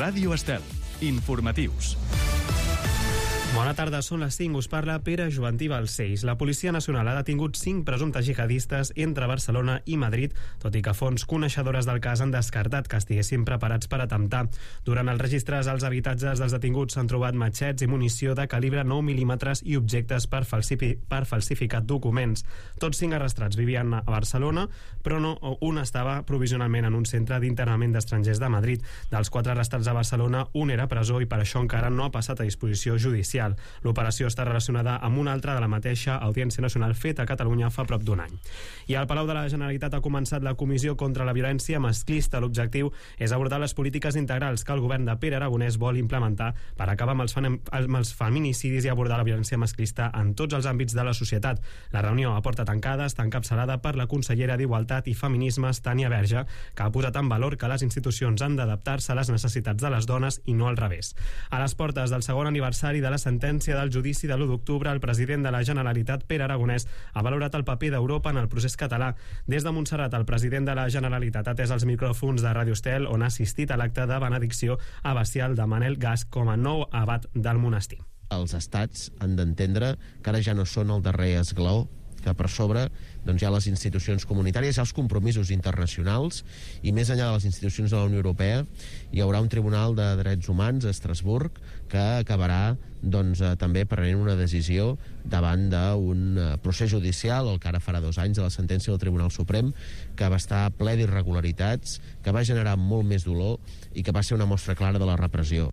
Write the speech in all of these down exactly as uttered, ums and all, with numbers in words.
Ràdio Estel. Informatius. Bona tarda, són les cinc, us parla Pere Jovantí Balcells. La Policia Nacional ha detingut cinc presumptes jihadistes entre Barcelona i Madrid, tot i que fonts coneixedores del cas han descartat que estiguessin preparats per atemptar. Durant els registres als habitatges dels detinguts s'han trobat matxets i munició de calibre nou mil·límetres i objectes per, falsifi per falsificar documents. Tots cinc arrestats vivien a Barcelona, però no, un estava provisionalment en un centre d'internament d'estrangers de Madrid. Dels quatre arrestats a Barcelona, un era a presó i per això encara no ha passat a disposició judicial. L'operació està relacionada amb una altra de la mateixa Audiència Nacional feta a Catalunya fa prop d'un any. I al Palau de la Generalitat ha començat la Comissió contra la Violència Masclista. L'objectiu és abordar les polítiques integrals que el govern de Pere Aragonès vol implementar per acabar amb els, amb els feminicidis i abordar la violència masclista en tots els àmbits de la societat. La reunió a porta tancada està encapçalada per la consellera d'Igualtat i Feminismes, Tània Verge, que ha posat en valor que les institucions han d'adaptar-se a les necessitats de les dones i no al revés. A les portes del segon aniversari de la sentència del judici de l'u d'octubre, el president de la Generalitat, Pere Aragonès, ha valorat el paper d'Europa en el procés català. Des de Montserrat, el president de la Generalitat ha atès els micròfons de Ràdio Estel, on ha assistit a l'acte de benedicció abacial de Manel Gas com a nou abat del monestir. Els estats han d'entendre que ara ja no són el darrer esglaó, que per sobre doncs, hi ha les institucions comunitàries, hi ha els compromisos internacionals, i més enllà de les institucions de la Unió Europea hi haurà un Tribunal de Drets Humans a Estrasburg que acabarà doncs, eh, també prenent una decisió davant d'un eh, procés judicial, el que ara farà dos anys de la sentència del Tribunal Suprem, que va estar ple d'irregularitats, que va generar molt més dolor i que va ser una mostra clara de la repressió.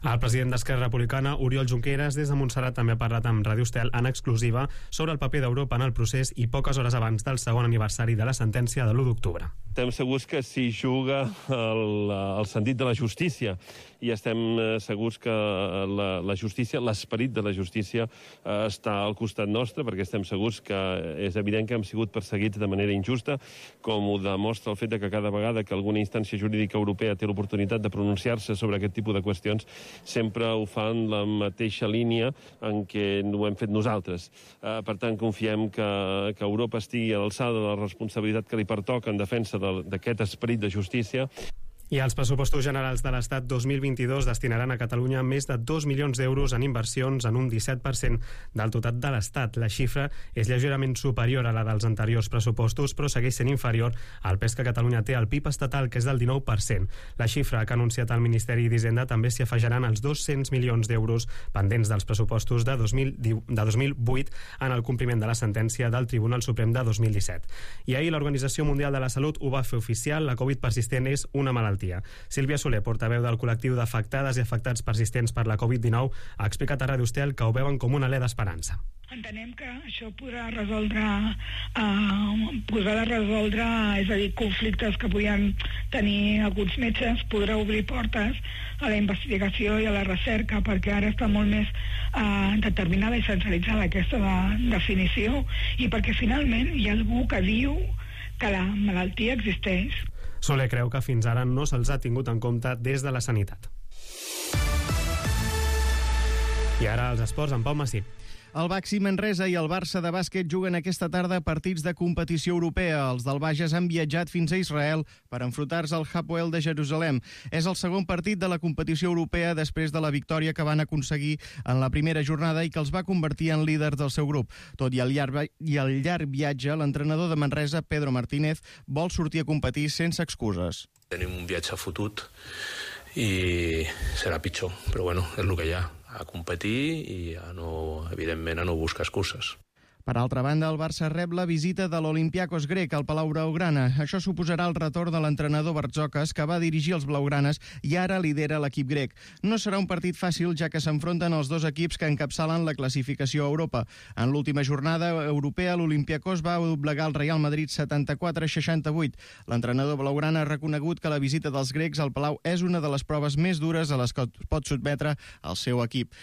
El president d'Esquerra Republicana, Oriol Junqueras, des de Montserrat també ha parlat amb Ràdio Estel en exclusiva sobre el paper d'Europa en el procés i poques hores abans del segon aniversari de la sentència de l'u d'octubre. Estem segurs que s'hi juga el, el sentit de la justícia i estem segurs que la, la justícia, l'esperit de la justícia eh, està al costat nostre, perquè estem segurs que és evident que hem sigut perseguits de manera injusta, com ho demostra el fet de que cada vegada que alguna instància jurídica europea té l'oportunitat de pronunciar-se sobre aquest tipus de qüestions, sempre ho fan la mateixa línia en què ho hem fet nosaltres. Eh, per tant, confiem que, que Europa estigui a l'alçada de la responsabilitat que li pertoca en defensa d'aquest esperit de justícia. I els pressupostos generals de l'Estat dos mil vint-i-dos destinaran a Catalunya més de dos milions d'euros en inversions, en un disset per cent del total de l'Estat. La xifra és lleugerament superior a la dels anteriors pressupostos, però segueix sent inferior al pes que Catalunya té al P I B estatal, que és del dinou per cent. La xifra que ha anunciat el Ministeri d'Hisenda també s'hi afegiran els dos-cents milions d'euros pendents dels pressupostos de dos mil vuit en el compliment de la sentència del Tribunal Suprem de dos mil disset. I ahir l'Organització Mundial de la Salut ho va fer oficial: la Covid persistent és una malaltia. Sílvia Soler, portaveu del col·lectiu d'afectades i afectats persistents per la Covid dinou, ha explicat a Ràdio Estel que ho veuen com un alè d'esperança. Entenem que això podrà resoldre, eh, podrà resoldre, és a dir, conflictes que podien tenir alguns metges, podrà obrir portes a la investigació i a la recerca, perquè ara està molt més eh, determinada i centralitzada aquesta de, definició, i perquè finalment hi ha algú que diu que la malaltia existeix. Soler creu que fins ara no se'ls ha tingut en compte des de la sanitat. I ara els esports amb Pau Massip. El Baxi Manresa i el Barça de bàsquet juguen aquesta tarda partits de competició europea. Els del Bages han viatjat fins a Israel per enfrontar-se al Hapoel de Jerusalem. És el segon partit de la competició europea després de la victòria que van aconseguir en la primera jornada i que els va convertir en líders del seu grup. Tot i el llarg, i el llarg viatge, l'entrenador de Manresa, Pedro Martínez, vol sortir a competir sense excuses. Tenim un viatge fotut i serà pitjor, però bueno, és el que hi ha, a competir i a no, evidentment a no buscar excuses. Per altra banda, el Barça rep la visita de l'Olympiakos grec al Palau Blaugrana. Això suposarà el retorn de l'entrenador Bartzokas, que va dirigir els blaugranes i ara lidera l'equip grec. No serà un partit fàcil, ja que s'enfronten els dos equips que encapçalen la classificació a Europa. En l'última jornada europea, l'Olympiakos va doblegar el Real Madrid setanta-quatre a seixanta-vuit. L'entrenador blaugrana ha reconegut que la visita dels grecs al Palau és una de les proves més dures a les que pot sotmetre el seu equip.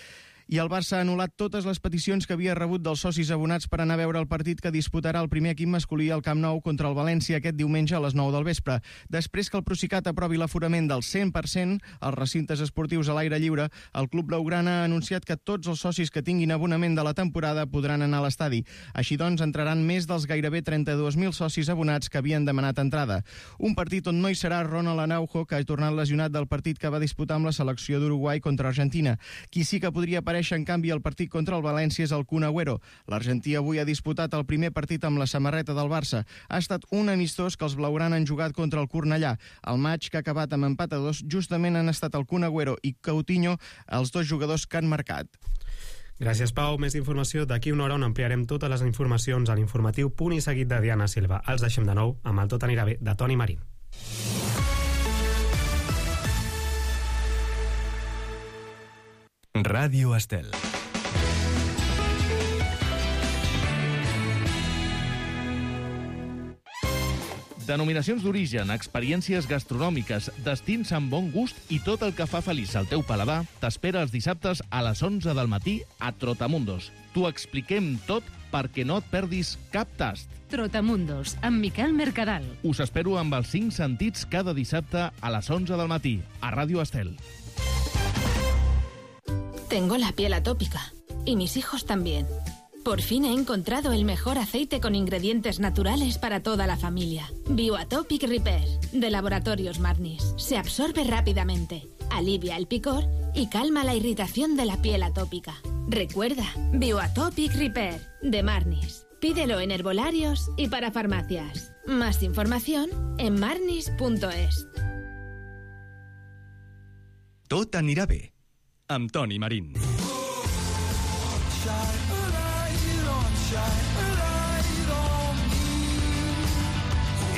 I el Barça ha anul·lat totes les peticions que havia rebut dels socis abonats per anar a veure el partit que disputarà el primer equip masculí al Camp Nou contra el València aquest diumenge a les nou del vespre. Després que el Procicat aprovi l'aforament del cent per cent als recintes esportius a l'aire lliure, el club blaugrana ha anunciat que tots els socis que tinguin abonament de la temporada podran anar a l'estadi. Així doncs, entraran més dels gairebé trenta-dos mil socis abonats que havien demanat entrada. Un partit on no hi serà Ronald Araujo, que ha tornat lesionat del partit que va disputar amb la selecció d'Uruguai contra Argentina. Qui sí que podria aparèixer, en canvi, al partit contra el València és el Kun Agüero. L'argentí avui ha disputat el primer partit amb la samarreta del Barça. Ha estat un amistós que els blaugrana han jugat contra el Cornellà. El maig, que ha acabat amb empat a dos, justament han estat el Kun Agüero i Coutinho els dos jugadors que han marcat. Gràcies, Pau. Més informació d'aquí una hora on ampliarem totes les informacions a l'informatiu Punt i Seguit de Diana Silva. Els deixem de nou amb el Tot anirà bé de Toni Marín. Ràdio Estel. Denominacions d'origen, experiències gastronòmiques, destins amb bon gust i tot el que fa feliç al teu paladar t'espera els dissabtes a les onze del matí a Trotamundos. T'ho expliquem tot perquè no et perdis cap tast. Trotamundos, amb Miquel Mercadal. Us espero amb els cinc sentits cada dissabte a les onze del matí a Ràdio Estel. Tengo la piel atópica y mis hijos también. Por fin he encontrado el mejor aceite con ingredientes naturales para toda la familia. Bioatopic Repair, de Laboratorios Marnis. Se absorbe rápidamente, alivia el picor y calma la irritación de la piel atópica. Recuerda, Bioatopic Repair, de Marnis. Pídelo en herbolarios y para farmacias. Más información en marnis punto es. Tot anirà bé, amb Toni Marín.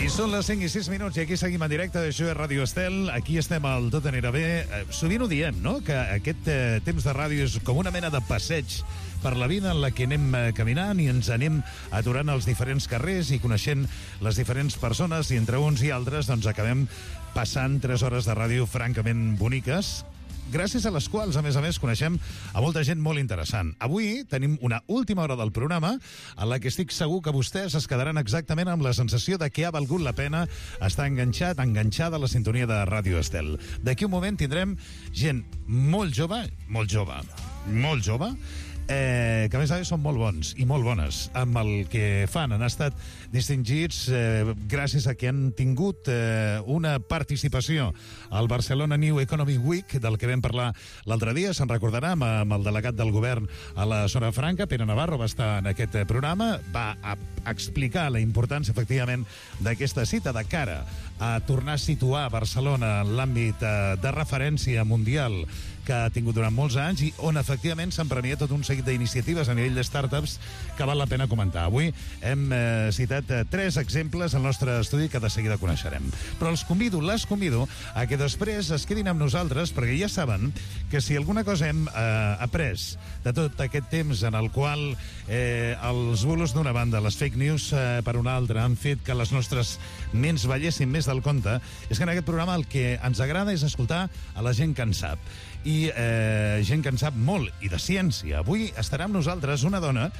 I són les cinc i sis minuts i aquí seguim en directe. Això és Ràdio Estel. Aquí estem al Tot anirà bé. Sovint ho diem, no?, que aquest eh, temps de ràdio és com una mena de passeig per la vida en la que anem eh, caminant i ens anem aturant als diferents carrers i coneixent les diferents persones, i entre uns i altres doncs acabem passant tres hores de ràdio francament boniques, gràcies a les quals, a més a més, coneixem a molta gent molt interessant. Avui tenim una última hora del programa en la que estic segur que vostès es quedaran exactament amb la sensació de que ha valgut la pena estar enganxat, enganxada a la sintonia de Ràdio Estel. D'aquí un moment tindrem gent molt jove, molt jove, molt jove, Eh, que a més a més són molt bons i molt bones amb el que fan. Han estat distingits eh, gràcies a que han tingut eh, una participació al Barcelona New Economy Week, del que vam parlar l'altre dia. Se'n recordarà amb, amb el delegat del govern a la zona franca, Pere Navarro, va estar en aquest programa, va a explicar la importància, efectivament, d'aquesta cita de cara a tornar a situar Barcelona en l'àmbit eh, de referència mundial que ha tingut durant molts anys i on efectivament s'han premiat tot un seguit d'iniciatives a nivell de startups que val la pena comentar. Avui hem eh, citat eh, tres exemples al nostre estudi que de seguida coneixerem. Però els convido, les convido a que després es quedin amb nosaltres, perquè ja saben que si alguna cosa hem eh, après de tot aquest temps en el qual eh, els bulos d'una banda, les fake news eh, per una altra, han fet que les nostres ments ballessin més del compte, és que en aquest programa el que ens agrada és escoltar a la gent que en sap. I eh, gent que en sap molt, i de ciència. Avui estarà amb nosaltres una dona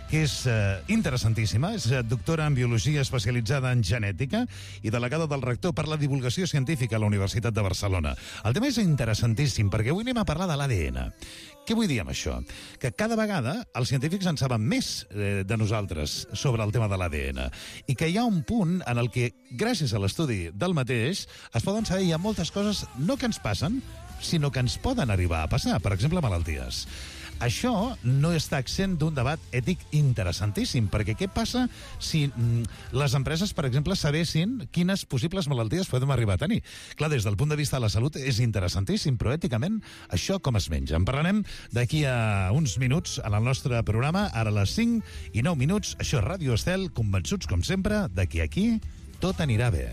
que és eh, interessantíssima, és doctora en biologia especialitzada en genètica i delegada del rector per la divulgació científica a la Universitat de Barcelona. El tema és interessantíssim, perquè avui anem a parlar de l'A D N. Què vull dir amb això? Que cada vegada els científics en saben més eh, de nosaltres sobre el tema de l'A D N i que hi ha un punt en el que, gràcies a l'estudi del mateix, es poden saber ja moltes coses no que ens passen, sinó que ens poden arribar a passar, per exemple, malalties. Això no està exempt d'un debat ètic interessantíssim, perquè què passa si mm, les empreses, per exemple, sabessin quines possibles malalties podem arribar a tenir? Clar, des del punt de vista de la salut és interessantíssim, però èticament això com es menja? En parlarem d'aquí a uns minuts en el nostre programa, ara a les cinc i nou minuts. Això és Ràdio Estel, convençuts, com sempre, de que aquí tot anirà bé.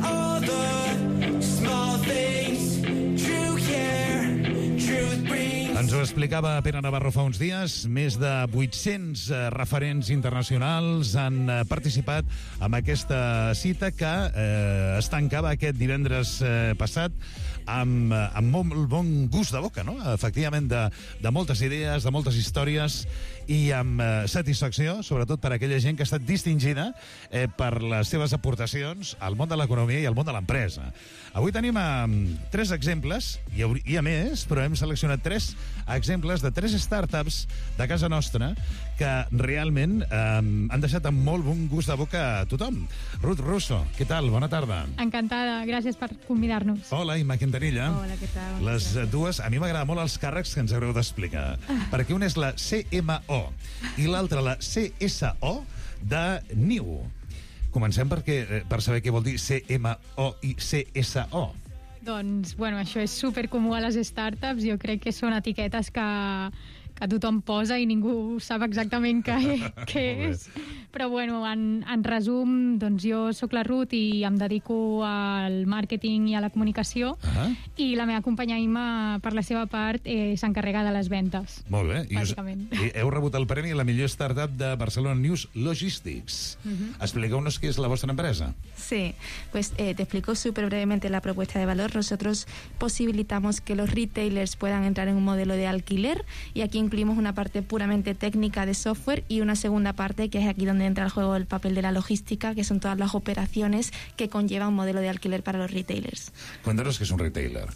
All the small things, true care, truth brings. Ens ho explicava Pere Navarro fa uns dies. Més de vuit-cents eh, referents internacionals han eh, participat en aquesta cita que eh, es tancava aquest divendres eh, passat amb, amb molt bon gust de boca, no? Efectivament, de, de moltes idees, de moltes històries i amb eh, satisfacció, sobretot per aquella gent que ha estat distingida eh, per les seves aportacions al món de l'economia i al món de l'empresa. Avui tenim eh, tres exemples, hi ha, hi ha més, però hem seleccionat tres exemples de tres startups de casa nostra que realment eh, han deixat amb molt bon gust de boca a tothom. Ruth Russo, què tal? Bona tarda. Encantada, gràcies per convidar-nos. Hola, Imma Quintanilla. Hola, què tal? Les dues, a mi m'agrada molt els càrrecs que ens haureu d'explicar, perquè una és la C M O i l'altra la C S O de Niu. Comencem perquè, per saber què vol dir C M O i C S O. Doncs, bueno, això és supercomú a les startups. Jo crec que són etiquetes que, que tothom posa i ningú sap exactament què, què és. Però, bueno, en, en resum, doncs jo sóc la Ruth i em dedico al màrqueting i a la comunicació, uh-huh. i la meva companya Imma, per la seva part, eh, s'encarrega de les ventes. Molt bé. I, us, bàsicament. I heu rebut el premi a la millor startup de Barcelona News Logistics. Uh-huh. Expliqueu-nos què és la vostra empresa. Sí, pues eh, te explico súper brevemente la propuesta de valor. Nosotros posibilitamos que los retailers puedan entrar en un modelo de alquiler, y aquí incluimos una parte puramente técnica de software y una segunda parte que es aquí donde entra el juego el papel de la logística, que son todas las operaciones que conlleva un modelo de alquiler para los retailers. Cuéntanos qué es un retailer.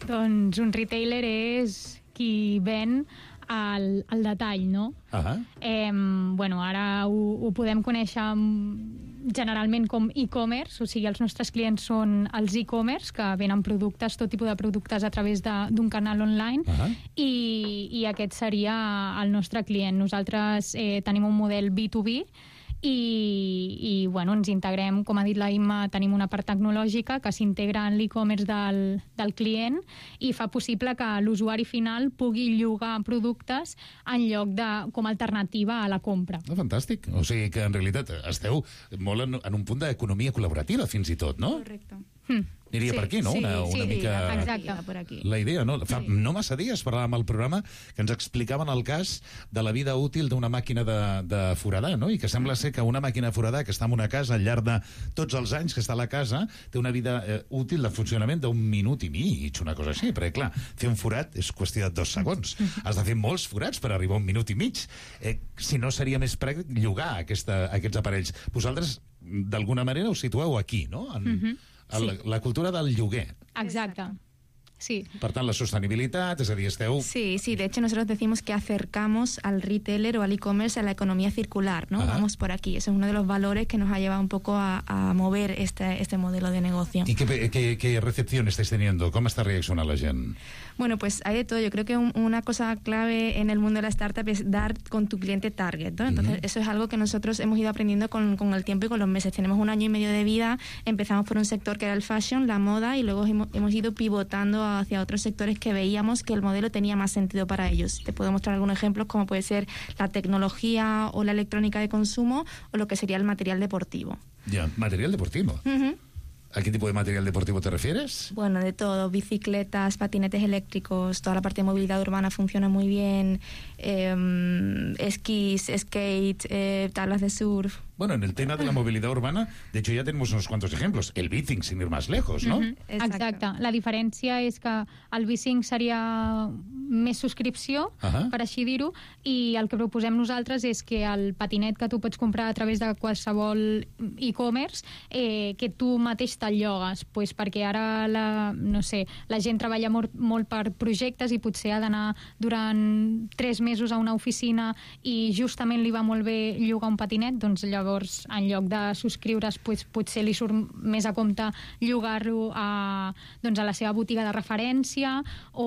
Doncs un retailer és qui ven al, al detall, no? Uh-huh. Eh, bueno, ara ho, ho podem conèixer generalment com e-commerce, o sigui, els nostres clients són els e-commerce, que venen productes, tot tipus de productes a través d'un canal online, uh-huh. i, i aquest seria el nostre client. Nosaltres eh, tenim un model B dos B, i, i bueno, ens integrem, com ha dit la Imma, tenim una part tecnològica que s'integra en l'e-commerce del, del client i fa possible que l'usuari final pugui llogar productes en lloc de, com a alternativa a la compra. Oh, fantàstic. O sigui que en realitat esteu molt en, en un punt d'economia col·laborativa fins i tot, no? Correcte. Hmm. Aniria sí, per aquí, no? Sí, una, una sí, mica... exacte. Per aquí. La idea, no? Fa sí. no massa dies parlàvem al programa que ens explicaven el cas de la vida útil d'una màquina de, de foradar, no? I que sembla ser que una màquina de foradar que està en una casa al llarg de tots els anys que està a la casa té una vida eh, útil de funcionament d'un minut i mig, una cosa així, perquè clar, fer un forat és qüestió de dos segons. Has de fer molts forats per arribar a un minut i mig. Eh, si no, seria més pràctic llogar aquesta, aquests aparells. Vosaltres, d'alguna manera, us situeu aquí, no? En, mm-hmm. sí. la, la cultura del lloguer. Exacte. Sí. Per tant, la sostenibilitat, és a dir, esteu... Sí, sí, de hecho nosotros decimos que acercamos al retailer o al e-commerce a la economía circular, ¿no? Ajá. Vamos por aquí. Eso es uno de los valores que nos ha llevado un poco a, a mover este, este modelo de negocio. ¿Y qué, qué, qué recepción estáis teniendo? ¿Cómo está reaccionando la gente? Bueno, pues hay de todo. Yo creo que un, una cosa clave en el mundo de la startup es dar con tu cliente target, ¿no? Entonces, uh-huh. eso es algo que nosotros hemos ido aprendiendo con, con el tiempo y con los meses. Tenemos un año y medio de vida, empezamos por un sector que era el fashion, la moda, y luego hemos, hemos ido pivotando hacia otros sectores que veíamos que el modelo tenía más sentido para ellos. Te puedo mostrar algunos ejemplos, como puede ser la tecnología o la electrónica de consumo, o lo que sería el material deportivo. Ya, material deportivo. Uh-huh. ¿A qué tipo de material deportivo te refieres? Bueno, de todo, bicicletas, patinetes eléctricos, toda la parte de movilidad urbana funciona muy bien, eh, esquís, skate, eh, tablas de surf. Bueno, en el tema de la movilidad urbana, de hecho ya tenemos unos cuantos ejemplos. El bicing, sin ir más lejos, ¿no? Mm-hmm. Exacte. La diferència és que el bicing seria més subscripció, uh-huh. per així dir-ho, i el que proposem nosaltres és que el patinet que tu pots comprar a través de qualsevol e-commerce, eh, que tu mateix te'l llogues, pues perquè ara la, no sé, la gent treballa molt, molt per projectes i potser ha d'anar durant tres mesos a una oficina i justament li va molt bé llogar un patinet, doncs allò llavors en lloc de subscriure's pues, potser li surt més a compte llogar-lo a, doncs, a la seva botiga de referència o,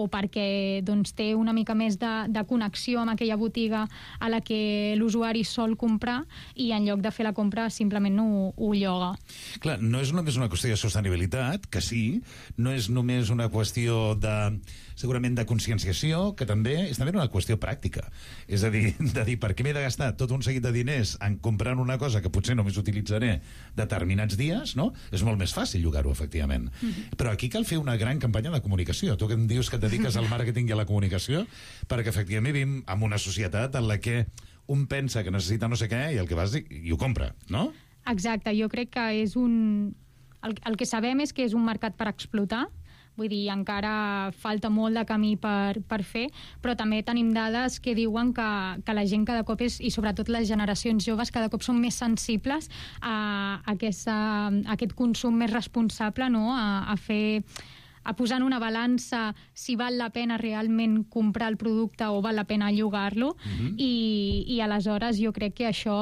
o perquè doncs, té una mica més de, de connexió amb aquella botiga a la que l'usuari sol comprar i en lloc de fer la compra simplement no ho, ho lloga. Clar, no és només una qüestió de sostenibilitat, que sí, no és només una qüestió de segurament de conscienciació, que també és també una qüestió pràctica. És a dir, de dir, per què m'he de gastar tot un seguit de diners en comprant una cosa que potser només utilitzaré determinats dies, no? És molt més fàcil llogar-ho, efectivament. Mm-hmm. Però aquí cal fer una gran campanya de comunicació. Tu que em dius que et dediques al màrqueting i a la comunicació, perquè efectivament vivim en una societat en la que un pensa que necessita no sé què i el que vas i, i ho compra, no? Exacte, jo crec que és un... El, el que sabem és que és un mercat per explotar. Vull dir, encara falta molt de camí per, per fer, però també tenim dades que diuen que, que la gent cada cop és, i sobretot les generacions joves, cada cop són més sensibles a, a, aquesta, a aquest consum més responsable, no? a, a fer... a posar en una balança si val la pena realment comprar el producte o val la pena llogar-lo, mm-hmm. i, i aleshores jo crec que això,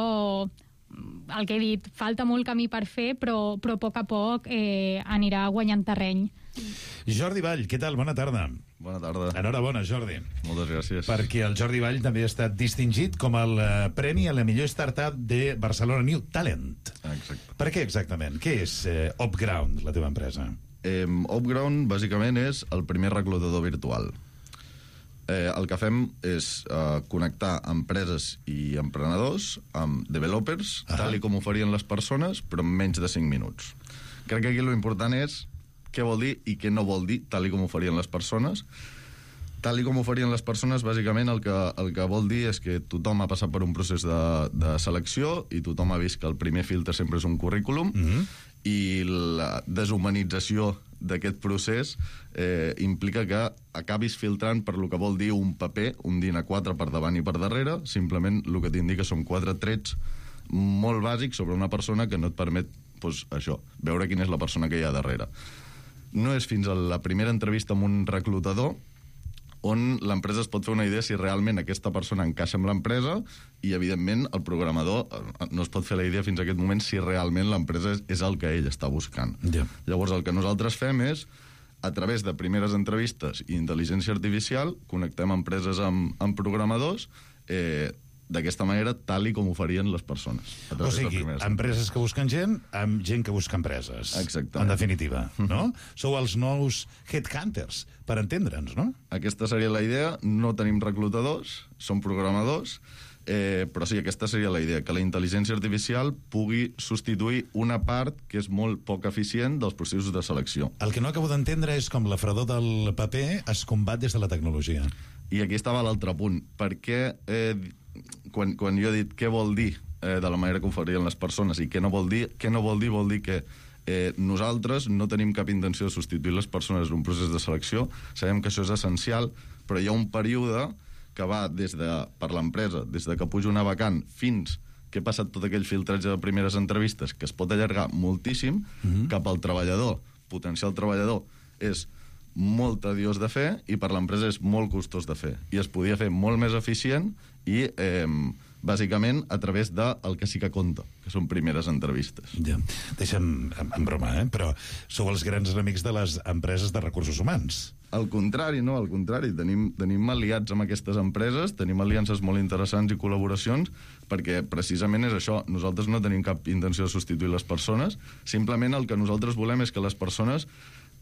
el que he dit, falta molt camí per fer, però, però a poc a poc eh, anirà guanyant terreny. Jordi Vall, què tal? Bona tarda. Bona tarda. Enhorabona, Jordi. Moltes gràcies. Perquè el Jordi Vall també ha estat distingit com el uh, premi a la millor startup de Barcelona New Talent. Exacte. Per què exactament? Què és uh, Upground, la teva empresa? Eh, Upground, bàsicament, és el primer reclutador virtual. Eh, el que fem és eh, connectar empreses i emprenedors amb developers, ah. tal i com ho farien les persones, però en menys de cinc minuts. Crec que aquí l'important és què vol dir i què no vol dir, tal i com ho farien les persones. Tal i com ho farien les persones, bàsicament el que, el que vol dir és que tothom ha passat per un procés de, de selecció i tothom ha vist que el primer filtre sempre és un currículum, mm-hmm. i la deshumanització d'aquest procés eh, implica que acabis filtrant per lo que vol dir un paper, un DIN A quatre per davant i per darrere. Simplement el que t'indica són quatre trets molt bàsics sobre una persona que no et permet, doncs, això, veure quina és la persona que hi ha darrere. No és fins a la primera entrevista amb un reclutador on l'empresa es pot fer una idea si realment aquesta persona encaixa amb l'empresa, i, evidentment, el programador no es pot fer la idea fins a aquest moment si realment l'empresa és, és el que ell està buscant. Yeah. Llavors, el que nosaltres fem és, a través de primeres entrevistes i intel·ligència artificial, connectem empreses amb, amb programadors, eh, d'aquesta manera, tal i com ho farien les persones. O sigui, empreses que busquen gent amb gent que busca empreses. Exactament. En definitiva, no? Sou els nous headhunters, per entendre'ns, no? Aquesta seria la idea. No tenim reclutadors, som programadors, eh, però sí, aquesta seria la idea, que la intel·ligència artificial pugui substituir una part que és molt poc eficient dels processos de selecció. El que no acabo d'entendre és com la fredor del paper es combat des de la tecnologia. I aquí estava l'altre punt. Per què... Eh, Quan, quan jo he dit què vol dir eh, de la manera que ho farien les persones i què no vol dir, què no vol dir vol dir que eh, nosaltres no tenim cap intenció de substituir les persones en un procés de selecció. Sabem que això és essencial, però hi ha un període que va des de, per l'empresa, des de que puja una vacant fins que ha passat tot aquell filtratge de primeres entrevistes, que es pot allargar moltíssim, mm-hmm. cap al treballador, potencial treballador, és molt tediós de fer i per l'empresa és molt costós de fer. I es podia fer molt més eficient i, eh, bàsicament, a través del que sí que compta, que són primeres entrevistes. Ja. Deixa'm, en, en broma, eh? Però sou els grans enemics de les empreses de recursos humans. Al contrari, no, al contrari. Tenim, tenim aliats amb aquestes empreses, tenim aliances molt interessants i col·laboracions, perquè precisament és això. Nosaltres no tenim cap intenció de substituir les persones, simplement el que nosaltres volem és que les persones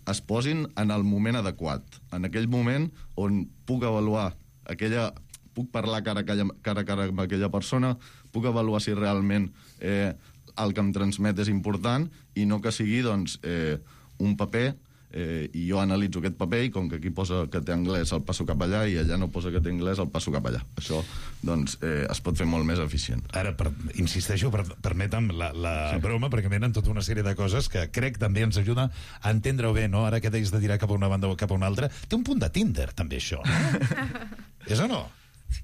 es posin en el moment adequat, en aquell moment on puc avaluar aquella... puc parlar cara a cara, cara, a cara amb aquella persona, puc avaluar si realment eh, el que em transmet és important i no que sigui, doncs, eh, un paper eh, i jo analitzo aquest paper i com que aquí posa que té anglès el passo cap allà i allà no posa que té anglès el passo cap allà. Això, doncs, eh, es pot fer molt més eficient. Ara, per, insisteixo, per, permetem la, la sí. broma, perquè venen tota una sèrie de coses que crec també ens ajuda a entendre-ho bé, no? Ara que deies de tirar cap a una banda o cap a una altra, té un punt de Tinder, també, això, no? És o no?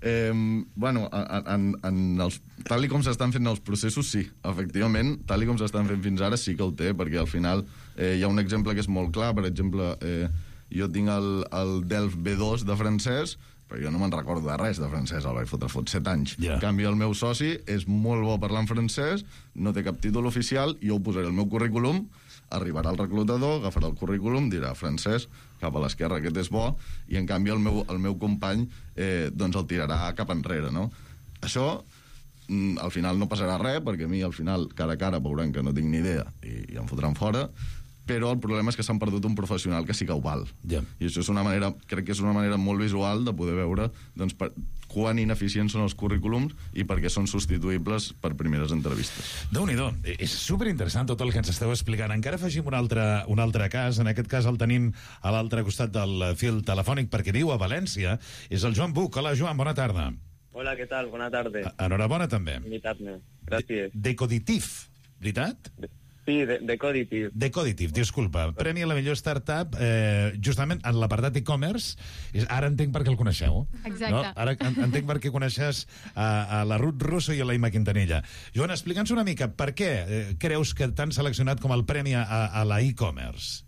Eh, bueno, en, en els, tal i com s'estan fent els processos, sí, efectivament, tal i com s'estan fent fins ara sí que ho té, perquè al final eh, hi ha un exemple que és molt clar. Per exemple, eh, jo tinc el, el Delf B dos de francès, però jo no me'n recordo de res de francès, el vaig fotre fot set anys. Yeah. En canvi, el meu soci és molt bo parlant francès, no té cap títol oficial, i jo ho posaré al meu currículum, arribarà el reclutador, agafarà el currículum, dirà francès, cap a l'esquerra, aquest és bo, i en canvi el meu, el meu company eh, doncs el tirarà cap enrere, no? Això, mm, al final no passarà res, perquè a mi al final, cara a cara, veuran que no tinc ni idea i, i em fotran fora, però el problema és que s'han perdut un professional que sí que ho val. Yeah. I això és una manera, crec que és una manera molt visual de poder veure doncs, per, quan ineficients són els currículums i perquè són substituïbles per primeres entrevistes. Déu-n'hi-do, és superinteressant tot el que ens esteu explicant. Encara afegim un altre, un altre cas, en aquest cas el tenim a l'altre costat del fil telefònic perquè viu a València, és el Joan Buch. Hola, Joan, bona tarda. Hola, què tal? Bona tarda. Enhorabona, també. Invitar-me. Gràcies. Decoditif, veritat? Sí, de, Decoditif. Decoditif, disculpa. Premi a la millor startup, eh, justament en l'apartat e-commerce. Ara entenc per què el coneixeu. Exacte. No? Ara entenc per què coneixes a, a la Ruth Russo i a la Imma Quintanilla. Joan, explica'ns una mica, per què eh, creus que t'han seleccionat com el premi a, a la e-commerce?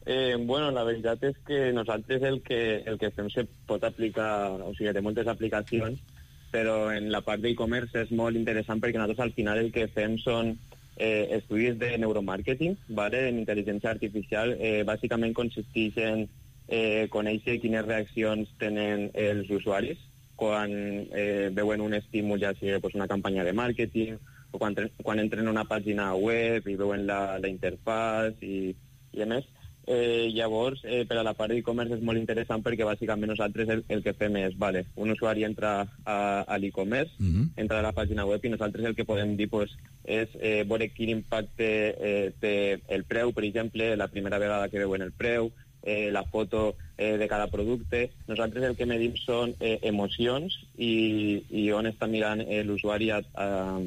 Eh, bueno, la veritat és que nosaltres el que, el que fem se pot aplicar, o sigui, té moltes aplicacions, però en la part d'e-commerce és molt interessant perquè nosaltres al final el que fem són Eh, estudis de neuromàrqueting, ¿vale? En intel·ligència artificial, eh, bàsicament consisteix en eh, conèixer quines reaccions tenen els usuaris quan eh, veuen un estímul, ja sigui pues, una campanya de màrqueting, o quan, quan entren a una pàgina web i veuen la, la interfàs i, i a més. Eh, llavors, eh, per a la part d'e-commerce és molt interessant perquè bàsicament nosaltres el, el que fem és, vale, un usuari entra a, a l'e-commerce, mm-hmm. entra a la pàgina web i nosaltres el que podem dir pues, és eh, veure quin impacte eh, té el preu, per exemple, la primera vegada que veuen el preu, eh, la foto eh, de cada producte. Nosaltres el que medim són eh, emocions i, i on està mirant eh, l'usuari a, a,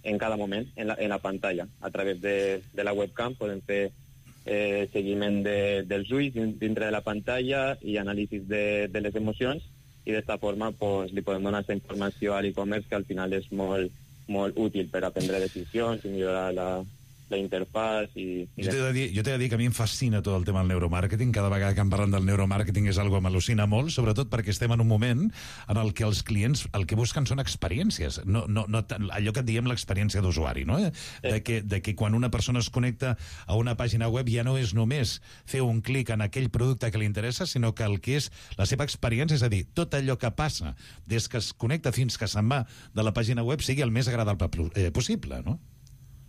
en cada moment, en la, en la pantalla. A través de, de la webcam podem fer Eh, seguiment de, dels ulls dintre de la pantalla i anàlisis de, de les emocions i d'esta forma pues, li podem donar aquesta informació a l'e-commerce que al final és molt, molt útil per a prendre decisions i millorar la, la interfàs i... i jo t'he de, dir, jo t'he de dir que a mi em fascina tot el tema del neuromàrqueting. Cada vegada que em parlen del neuromàrqueting és algo que m'al·lucina molt, sobretot perquè estem en un moment en el que els clients el que busquen són experiències, no, no, no, allò que diem l'experiència d'usuari, no? Eh? De, que, de que quan una persona es connecta a una pàgina web ja no és només fer un clic en aquell producte que li interessa, sinó que el que és la seva experiència, és a dir, tot allò que passa des que es connecta fins que se'n va de la pàgina web sigui el més agradable eh, possible, no?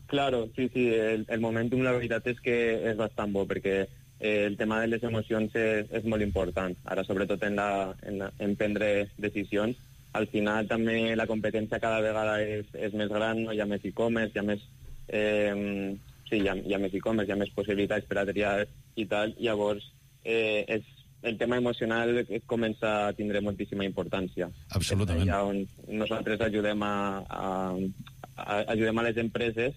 Claro, sí, sí, el, el momentum la veritat és que és bastant bo perquè eh, el tema de les emocions és, és molt important, ara sobretot en, la, en, la, en prendre decisions. Al final també la competència cada vegada és, és més gran, no? Hi ha més e-commerce, hi ha més, eh, sí, hi ha, hi ha més e-commerce, hi ha més possibilitats per a triar i tal, llavors eh, és, el tema emocional comença a tindre moltíssima importància. Absolutament. És allà on nosaltres ajudem a, a, a, ajudem a les empreses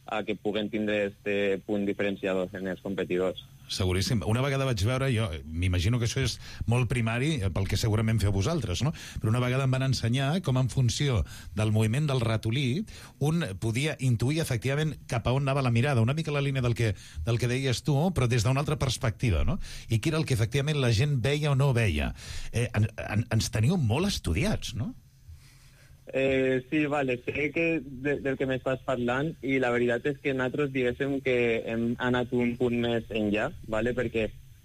a que puguen tindre este punt diferenciador en els competidors. Seguríssim. Una vegada vaig veure, jo m'imagino que això és molt primari pel que segurament feu vosaltres, no? Però una vegada em van ensenyar com en funció del moviment del ratolí un podia intuir efectivament cap a on anava la mirada, una mica la línia del que, del que deies tu, però des d'una altra perspectiva, no? I què era el que efectivament la gent veia o no veia. Eh, en, en, ens teniu molt estudiats, no? Eh, sí, vale, sé que de, del que m'estàs parlant i la veritat és que nosaltres diguéssim que hem anat un punt més enllà, vale? Perquè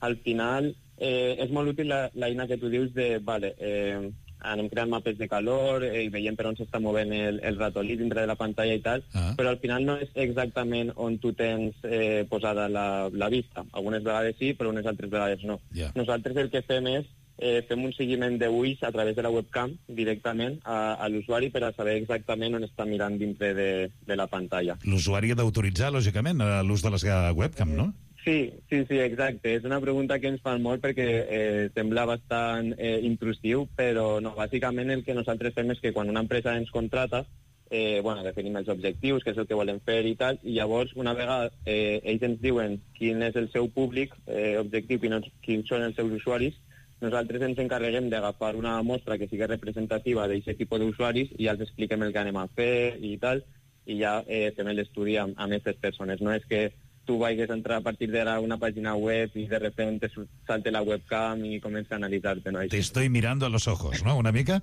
al final eh, és molt útil la, la eina que tu dius de, vale, eh, anem creant mapes de calor eh, i veiem per on s'està movent el, el ratolí dintre de la pantalla i tal, ah. però al final no és exactament on tu tens eh, posada la, la vista. Algunes vegades sí, però unes altres vegades no. Yeah. Nosaltres el que fem és Eh, fem un seguiment d'ulls a través de la webcam directament a, a l'usuari per a saber exactament on està mirant dintre de, de la pantalla. L'usuari ha d'autoritzar, lògicament, l'ús de la seva webcam, no? Sí, sí, sí, exacte. És una pregunta que ens fan molt perquè eh, sembla bastant eh, intrusiu, però no, bàsicament el que nosaltres fem és que quan una empresa ens contrata, eh, bueno, definim els objectius, què és el que volem fer i tal, i llavors una vegada eh, ells ens diuen quin és el seu públic eh, objectiu, quins, quins són els seus usuaris, nosaltres ens encarreguem d'agafar una mostra que sigui representativa d'aquest tipus d'usuaris i ja els expliquem el que anem a fer i tal, i ja eh, fem l'estudi amb, amb aquestes persones. No és que tu vagis a entrar a partir d'ara a una pàgina web i de repente salte la webcam i comença a analitzar-te, no? Te estoy mirando a los ojos, no? Una mica?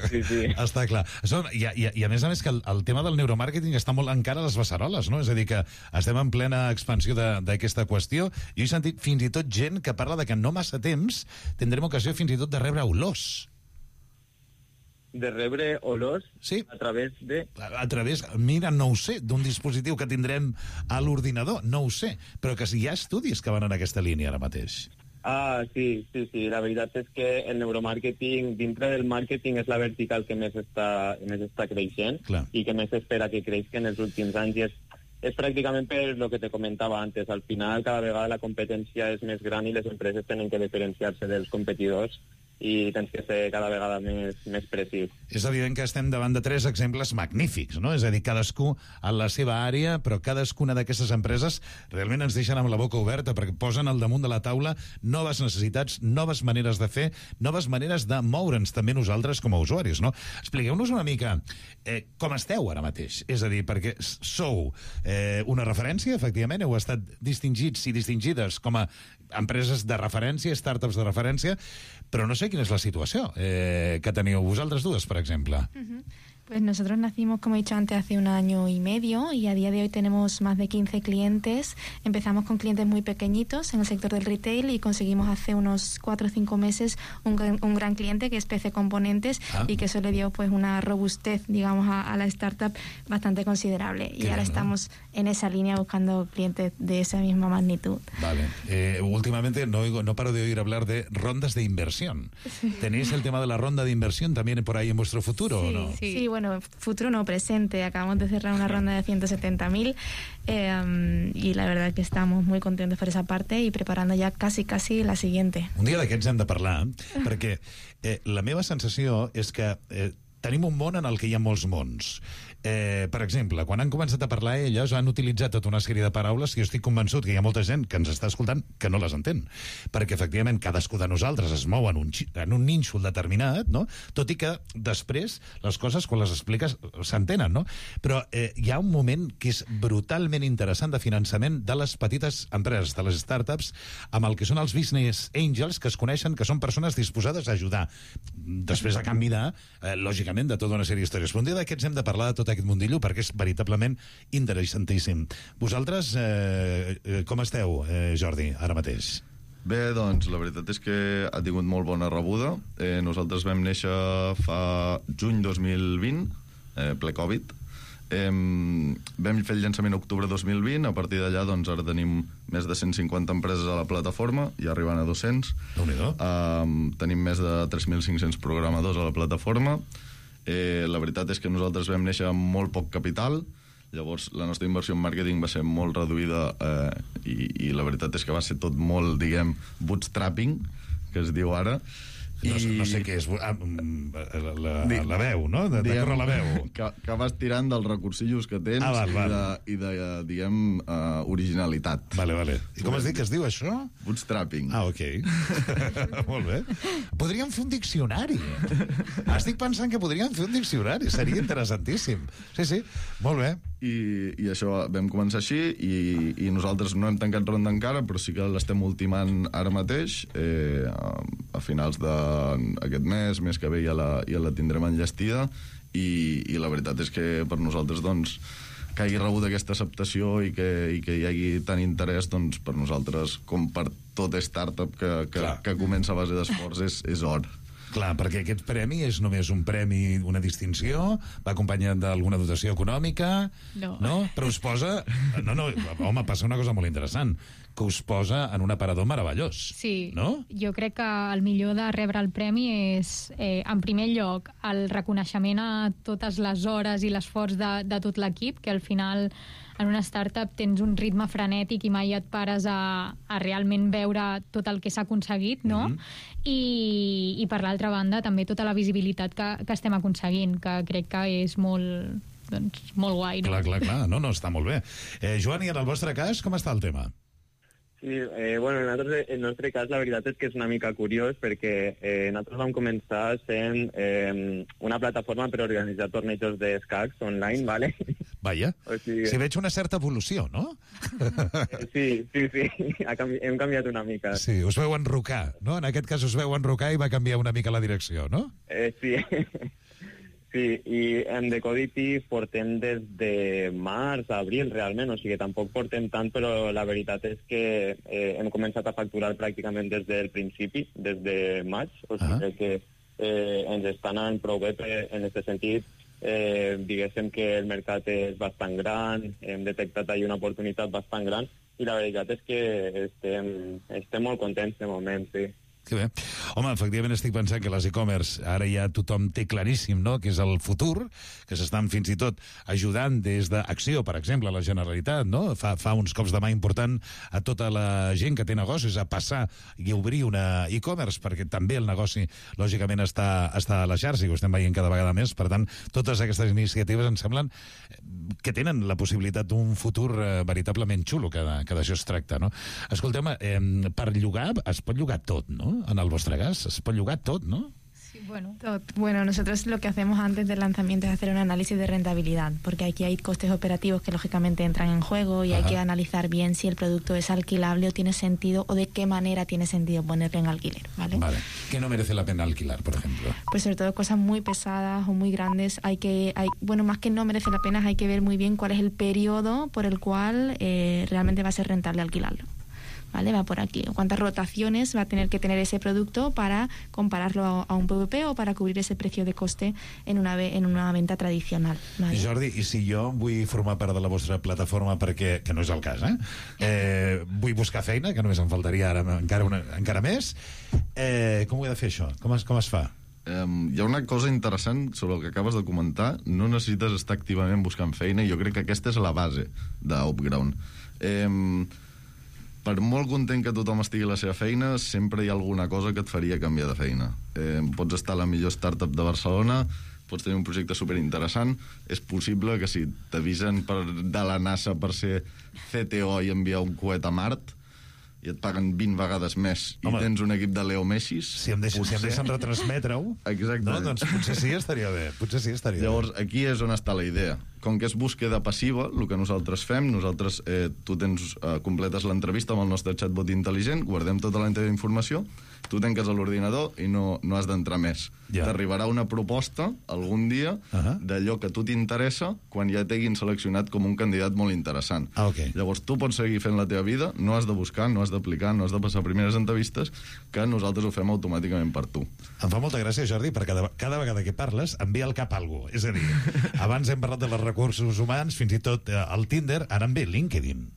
Sí, sí. Està clar. Són, i, i, I a més a més que el, el tema del neuromàrqueting està molt encara a les beceroles, no? És a dir, que estem en plena expansió d'aquesta qüestió. Jo he sentit fins i tot gent que parla de que no massa temps tindrem ocasió fins i tot de rebre olors. De rebre olors sí. a través de... A, a través, mira, no ho sé, d'un dispositiu que tindrem a l'ordinador, no ho sé, però que sí, hi ha estudis que van en aquesta línia ara mateix. Ah, sí, sí, sí. La veritat és que el neuromàrqueting, dintre del màrqueting, és la vertical que més està, més està creixent. Clar. I que més espera que creixi en els últims anys. I és, és pràcticament per el que te comentava antes. Al final, cada vegada la competència és més gran i les empreses tenen que diferenciar-se dels competidors i tens que ser cada vegada més, més precís. És evident que estem davant de tres exemples magnífics, no? És a dir, cadascú en la seva àrea, però cadascuna d'aquestes empreses realment ens deixen amb la boca oberta perquè posen al damunt de la taula noves necessitats, noves maneres de fer, noves maneres de moure'ns també nosaltres com a usuaris, no? Expliqueu-nos una mica eh, com esteu ara mateix. És a dir, perquè sou eh, una referència, efectivament, heu estat distingits i distingides com a empreses de referència, startups de referència, però no sé quina és la situació eh, que teniu vosaltres dues, per exemple. Uh-huh. Pues nosotros nacimos, como he dicho antes, hace un año y medio y a día de hoy tenemos más de quince clientes. Empezamos con clientes muy pequeñitos en el sector del retail y conseguimos hace unos cuatro o cinco meses un, un gran cliente que es P C Componentes ah. y que eso le dio pues una robustez, digamos, a, a la startup bastante considerable. Qué y ahora bien, estamos ¿no? en esa línea buscando clientes de esa misma magnitud. Vale. Eh, últimamente no, oigo, no paro de oír hablar de rondas de inversión. Sí. ¿Tenéis el tema de la ronda de inversión también por ahí en vuestro futuro sí, o no? Sí, sí. Bueno, futuro no, presente. Acabamos de cerrar una ronda de ciento setenta mil eh, y la verdad que estamos muy contentos por esa parte y preparando ya casi, casi la siguiente. Un dia d'aquests hem de parlar, perquè eh, la meva sensació és que eh, tenim un món en el que hi ha molts mons. Eh, per exemple, quan han començat a parlar elles han utilitzat tota una sèrie de paraules que jo estic convençut que hi ha molta gent que ens està escoltant que no les entén, perquè efectivament cadascú de nosaltres es mou en un, en un nínxol determinat, no? Tot i que després les coses quan les expliques s'entenen, no? Però eh, hi ha un moment que és brutalment interessant de finançament de les petites empreses, de les startups, amb el que són els business angels, que es coneixen, que són persones disposades a ajudar després a canvi de, eh, lògicament, de tota una sèrie d'històries. Però un dia d'aquests hem de parlar de tot aquest mundillo perquè és veritablement interessantíssim. Vosaltres eh, com esteu, eh, Jordi, ara mateix? Bé, doncs, la veritat és que ha tingut molt bona rebuda. Eh, nosaltres vam néixer fa juny dos mil vint, eh, ple Covid. Eh, vam fer el llançament octubre dos mil vint, a partir d'allà doncs, ara tenim més de cent cinquanta empreses a la plataforma, i arribant a dos-cents. Déu-n'hi-do. Eh, tenim més de tres mil cinc-cents programadors a la plataforma. Eh, la veritat és que nosaltres vam néixer amb molt poc capital, llavors la nostra inversió en màrqueting va ser molt reduïda eh, i, i la veritat és que va ser tot molt, diguem, bootstrapping, que es diu ara. No, I... no sé què és, ah, la, la, la veu, no? De, de córrer la veu. Que, que vas tirant dels recursillos que tens ah, val, val. i de, i de diguem, uh, originalitat. Vale, vale. I com has dit que es diu això? Bootstrapping. Ah, ok. Molt bé. Podríem fer un diccionari. Estic pensant que podríem fer un diccionari. Seria interessantíssim. Sí, sí. Molt bé. I, i això, vam començar així i, i nosaltres no hem tancat ronda encara, però sí que l'estem ultimant ara mateix, eh, a, a finals d'aquest mes, mes que ve ja la, ja la tindrem enllestida i, i la veritat és que per nosaltres doncs, que hagi rebut aquesta acceptació i que, i que hi hagi tant interès, doncs per nosaltres com per tot startup que, que, que comença a base d'esforç és, és or. Clar, perquè aquest premi és només un premi, una distinció, va acompanyat d'alguna dotació econòmica, no. no? Però us posa... No, no, home, passa una cosa molt interessant, que us posa en un aparador meravellós. Sí, no? Jo crec que el millor de rebre el premi és, eh, en primer lloc, el reconeixement a totes les hores i l'esforç de, de tot l'equip, que al final en una startup tens un ritme frenètic i mai et pares a, a realment veure tot el que s'ha aconseguit, no? Mm-hmm. I, i per l'altra banda també tota la visibilitat que, que estem aconseguint, que crec que és molt, doncs, molt guai, no? Clar, clar, clar, no, no, està molt bé. Eh, Joan, i en el vostre cas, com està el tema? Sí, eh, bueno, en nosaltres, en el nostre cas la veritat és que és una mica curiós perquè eh, nosaltres vam començar sent eh, una plataforma per organitzar tornejos d'escacs online, ¿vale? Vaja, o sigui... si veig una certa evolució, no? Sí, sí, sí, ha canvi... hem canviat una mica. Sí, us veu enrocar, no? En aquest cas us veu enrocar i va canviar una mica la direcció, no? Eh, sí. Sí, i en Decodity portem des de març a abril, realment, o sigui, tampoc portem tant, però la veritat és que eh, hem començat a facturar pràcticament des del principi, des de maig, o sigui ah. que eh, ens està anant prou bé en aquest sentit. Eh, diguéssim que el mercat és bastant gran, hem detectat ahir una oportunitat bastant gran i la veritat és que estem, estem molt contents de moment, sí. Que bé. Home, efectivament estic pensant que les e-commerce ara ja tothom té claríssim, no?, que és el futur, que s'estan fins i tot ajudant des d'Acció, per exemple, a la Generalitat, no? Fa, fa uns cops de mà important a tota la gent que té negocis a passar i a obrir una e-commerce, perquè també el negoci, lògicament, està, està a la xarxa i ho estem veient cada vegada més. Per tant, totes aquestes iniciatives em semblen que tenen la possibilitat d'un futur eh, veritablement xulo, que, que d'això es tracta, no? Escolteu-me, eh, per llogar es pot llogar tot, no? En el vostre cas, es pot llogar tot, ¿no? Sí, bueno. Tot. Bueno, nosotros lo que hacemos antes del lanzamiento es hacer un análisis de rentabilidad, porque aquí hay costes operativos que lógicamente entran en juego y Ajá. hay que analizar bien si el producto es alquilable o tiene sentido, o de qué manera tiene sentido ponerlo en alquiler, ¿vale? Vale. ¿Qué no merece la pena alquilar, por ejemplo? Pues sobre todo cosas muy pesadas o muy grandes, hay que, hay, bueno, más que no merece la pena, hay que ver muy bien cuál es el periodo por el cual eh, realmente va a ser rentable alquilarlo. ¿Vale? Va por aquí. ¿Cuántas rotaciones va a tener que tener ese producto para compararlo a, a un P V P o para cubrir ese precio de coste en una, en una venta tradicional? ¿Vale? Jordi, i si jo vull formar part de la vostra plataforma perquè, que no és el cas, eh? eh vull buscar feina, que només em faltaria ara encara, una, encara més, eh, com ho he de fer això? Com es, com es fa? Um, hi ha una cosa interessant sobre el que acabes de comentar. No necessites estar activament buscant feina, i jo crec que aquesta és la base d'Upground. Um, per molt content que tothom estigui a la seva feina, sempre hi ha alguna cosa que et faria canviar de feina. Eh, pots estar a la millor startup de Barcelona, pots tenir un projecte superinteressant, és possible que si t'avisen per, de la NASA per ser C T O i enviar un coet a Mart, i et paguen vint vegades més, Home, i tens un equip de Leo Messis... Si em deixen, potser... si em deixen retransmetre-ho, no, doncs potser sí estaria bé. Potser sí estaria Llavors, bé. aquí és on està la idea. Com que és búsqueda passiva, el que nosaltres fem, nosaltres, eh, tu tens, eh, completes l'entrevista amb el nostre chatbot intel·ligent, guardem tota la teva informació, tu tanques a l'ordinador i no, no has d'entrar més. Ja. T'arribarà una proposta algun dia uh -huh. d'allò que a tu t'interessa quan ja t'hagin seleccionat com un candidat molt interessant. Ah, okay. Llavors tu pots seguir fent la teva vida, no has de buscar, no has d'aplicar, no has de passar primeres entrevistes, que nosaltres ho fem automàticament per tu. Em fa molta gràcia, Jordi, perquè cada, cada vegada que parles em ve al cap alguna cosa. És a dir, abans hem parlat de les recursos humans, fins i tot eh, el Tinder, ara em ve LinkedIn.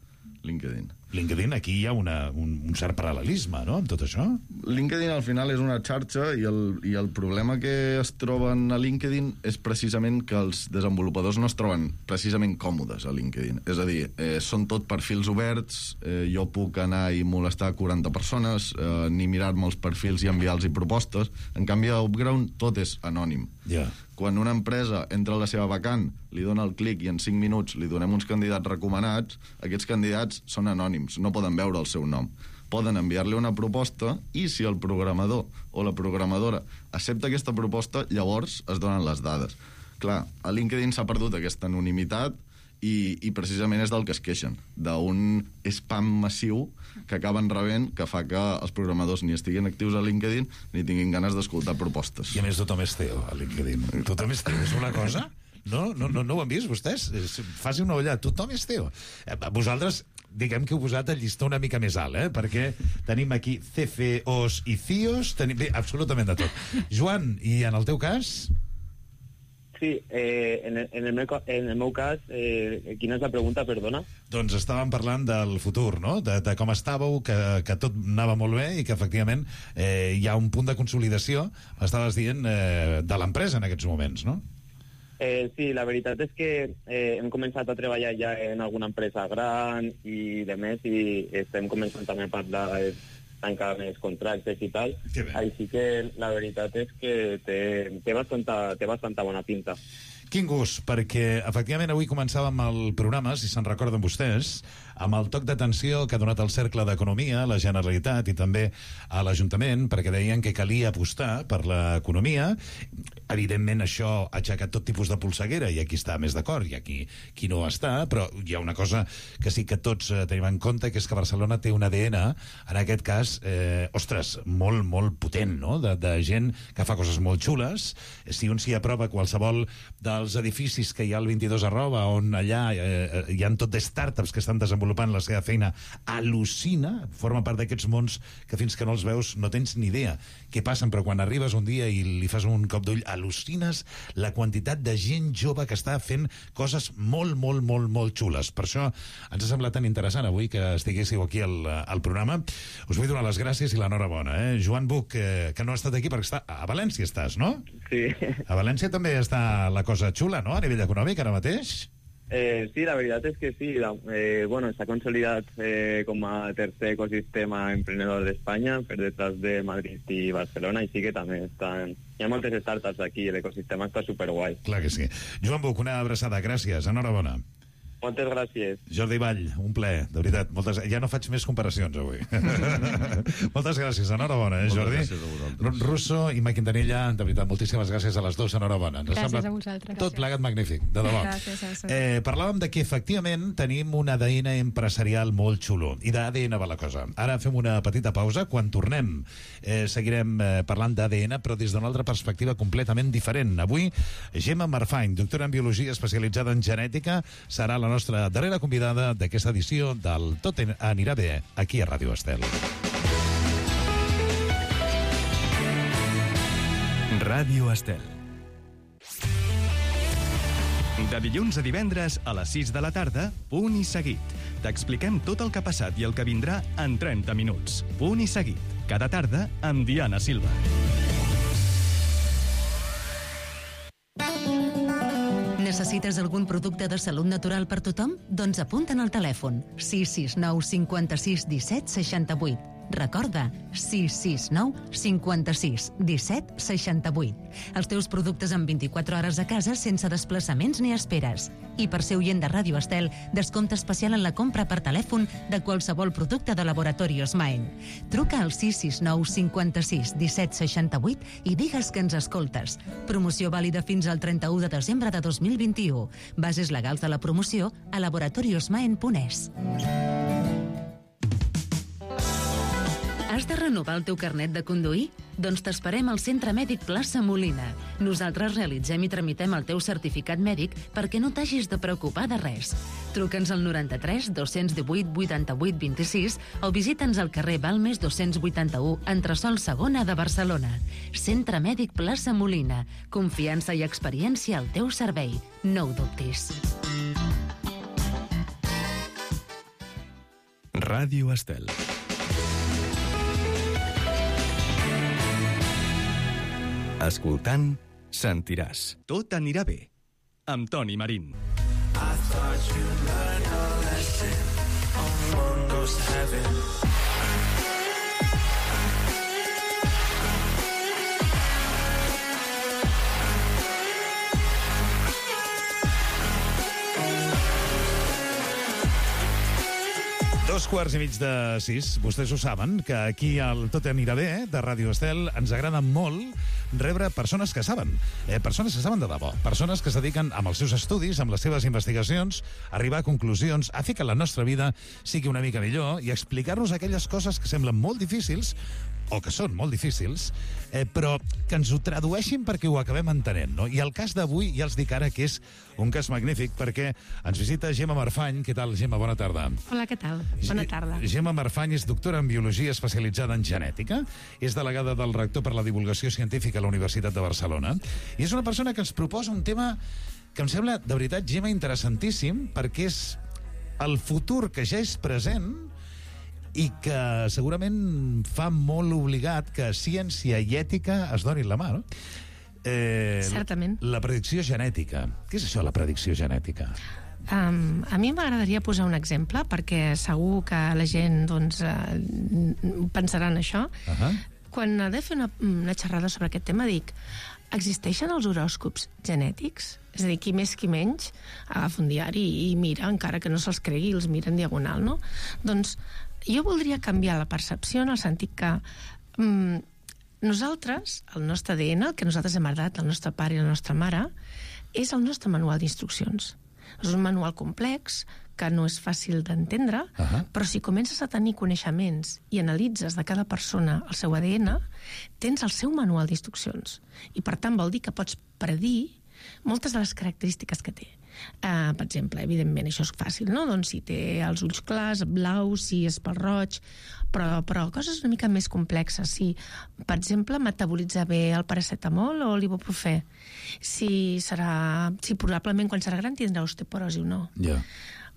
LinkedIn. LinkedIn, aquí hi ha una, un, un cert paral·lelisme, no?, amb tot això. LinkedIn al final és una xarxa i el, i el problema que es troben a LinkedIn és precisament que els desenvolupadors no es troben precisament còmodes a LinkedIn. És a dir, eh, són tot perfils oberts, eh, jo puc anar i molestar quaranta persones, eh, ni mirar-me els perfils i enviar-los propostes. En canvi, a Upground tot és anònim. Yeah. Quan una empresa entra a la seva vacant, li dona el clic i en cinc minuts li donem uns candidats recomanats, aquests candidats són anònims, no poden veure el seu nom. Poden enviar-li una proposta i si el programador o la programadora accepta aquesta proposta, llavors es donen les dades. Clar, a LinkedIn s'ha perdut aquesta anonimitat i, i precisament és del que es queixen, d'un spam massiu que acaben rebent, que fa que els programadors ni estiguin actius a LinkedIn ni tinguin ganes d'escoltar propostes. I a més tothom és C E O a LinkedIn. Tothom és C E O, és una cosa... No, no, no, no ho han vist, vostès? Faci una ullada, tothom és C E O. Vosaltres, diguem que heu posat el llistó una mica més alt, eh? Perquè tenim aquí C F Os i C I Os, tenim bé, absolutament de tot. Joan, i en el teu cas? Sí, eh, en, el, en, el meu, en el meu cas, eh, quina és la pregunta, perdona? Doncs estàvem parlant del futur, no?, de, de com estàveu, que, que tot anava molt bé i que efectivament eh, hi ha un punt de consolidació, estaves dient, eh, de l'empresa en aquests moments, no? Eh, sí, la veritat és que eh, hem començat a treballar ja en alguna empresa gran i de més, i estem començant també a parlar de tancar més contractes i tal. Així que la veritat és que té, té, bastanta, té bastanta bona pinta. Quin gust, perquè efectivament avui començàvem el programa, si se'n recorden vostès, amb el toc d'atenció que ha donat el Cercle d'Economia a la Generalitat i també a l'Ajuntament, perquè deien que calia apostar per l'economia. Evidentment això ha aixecat tot tipus de polseguera i aquí està més d'acord i aquí qui no està, però hi ha una cosa que sí que tots eh, tenim en compte, que és que Barcelona té un A D N, en aquest cas, eh, ostres, molt, molt potent, no?, de, de gent que fa coses molt xules. Si un s'hi aprova qualsevol de els edificis que hi ha al vint-i-dos arroba, on allà eh, hi ha tot de startups que estan desenvolupant la seva feina, al·lucina, forma part d'aquests mons que fins que no els veus no tens ni idea què passen, però quan arribes un dia i li fas un cop d'ull, al·lucines la quantitat de gent jove que està fent coses molt, molt, molt, molt xules. Per això ens ha semblat tan interessant avui que estiguéssiu aquí al, al programa. Us vull donar les gràcies i l'enhorabona. Eh? Joan Buch, eh, que no ha estat aquí perquè està a València, estàs, no? Sí. A València també està la cosa xula, no?, a nivell econòmic, ara mateix? Eh, sí, la veritat és que sí. La, eh, bueno, s'ha consolidat eh, com a tercer ecosistema emprenedor d'Espanya, per detrás de Madrid i Barcelona, i sí que també estan... Hi ha moltes startups aquí, l'ecosistema està superguai. Clar que sí. Joan Buch, una abraçada, gràcies, enhorabona. Moltes gràcies. Jordi Vall, un plaer, de veritat. Moltes... Ja no faig més comparacions avui. Moltes gràcies, enhorabona, eh, Jordi? Moltes gràcies a vosaltres. Russo i Ma Quintanilla, de veritat, moltíssimes gràcies a les dues, enhorabona. Ens Gràcies sembla a vosaltres. tot plegat magnífic, de debò. Gràcies a vosaltres. Eh, parlàvem de que efectivament tenim un A D N empresarial molt xulo, i d'A D N va la cosa. Ara fem una petita pausa. Quan tornem eh, seguirem eh, parlant d'A D N, però des d'una altra perspectiva completament diferent. Avui, Gemma Marfany, doctora en Biologia especialitzada en genètica, serà la nostra darrera convidada d'aquesta edició del Tot anirà bé, aquí a Ràdio Estel. Ràdio Estel. De dilluns a divendres a les sis de la tarda, Punt i Seguit. T'expliquem tot el que ha passat i el que vindrà en trenta minuts. Punt i Seguit. Cada tarda amb Diana Silva. Necessites algun producte de salut natural per tothom? Doncs apunta'n al telèfon sis sis nou cinquanta-sis disset seixanta-vuit. Recorda, sis sis nou cinquanta-sis disset seixanta-vuit. Els teus productes en vint-i-quatre hores a casa sense desplaçaments ni esperes. I per ser oient de Ràdio Estel, descompte especial en la compra per telèfon de qualsevol producte de Laboratorios Maen. Truca al sis sis nou cinquanta-sis disset seixanta-vuit i digues que ens escoltes. Promoció vàlida fins al trenta-u de desembre de dos mil vint-i-u. Bases legals de la promoció a laboratoriosmaen punt es. Has de renovar el teu carnet de conduir? Doncs t'esperem al Centre Mèdic Plaça Molina. Nosaltres realitzem i tramitem el teu certificat mèdic perquè no t'hagis de preocupar de res. Truca'ns al noranta-tres dos-cents divuit vuitanta-vuit vint-i-sis o visita'ns al carrer Balmes dos-cents vuitanta-u, entresòl segona de Barcelona. Centre Mèdic Plaça Molina. Confiança i experiència al teu servei. No ho dubtis. Ràdio Estel. Escoltant, sentiràs. Tot anirà bé. Amb Toni Marín. I thought you learned a lesson on one goes to heaven. Dos quarts i mig de sis. Vostès ho saben, que aquí al Tot anirà bé, eh, de Ràdio Estel, ens agrada molt rebre persones que saben. Eh, persones que saben de debò. Persones que es dediquen amb els seus estudis, amb les seves investigacions, a arribar a conclusions, a fer que la nostra vida sigui una mica millor i explicar-nos aquelles coses que semblen molt difícils, o que són molt difícils, eh, però que ens ho tradueixin perquè ho acabem entenent, no? I el cas d'avui, ja els dic ara que és un cas magnífic, perquè ens visita Gemma Marfany. Què tal, Gemma? Bona tarda. Hola, què tal? Bona tarda. Gemma Marfany és doctora en Biologia especialitzada en genètica, és delegada del rector per la divulgació científica a la Universitat de Barcelona, i és una persona que ens proposa un tema que em sembla, de veritat, Gemma, interessantíssim, perquè és el futur que ja és present i que segurament fa molt obligat que ciència i ètica es donin la mà, no? Eh, Certament. La predicció genètica. Què és això, la predicció genètica? Um, a mi m'agradaria posar un exemple, perquè segur que la gent doncs, uh, pensarà en això. Uh -huh. Quan he de fer una, una xerrada sobre aquest tema, dic, existeixen els horòscops genètics? És a dir, qui més, qui menys, agafa un diari i mira, encara que no se'ls cregui, els mira en diagonal, no? Doncs jo voldria canviar la percepció en el sentit que mm, nosaltres, el nostre A D N, el que nosaltres hem heredat, el nostre pare i la nostra mare, és el nostre manual d'instruccions. És un manual complex que no és fàcil d'entendre, uh -huh. però si comences a tenir coneixements i analitzes de cada persona el seu A D N, tens el seu manual d'instruccions. I per tant vol dir que pots predir moltes de les característiques que té. Uh, per exemple, evidentment, això és fàcil, no? Doncs si té els ulls clars, blaus, si és pel roig, però, però coses una mica més complexes. Si, per exemple, metabolitza bé el paracetamol o l'ibuprofè. Si serà... Si probablement quan serà gran tindrà osteoporosi o no. Ja.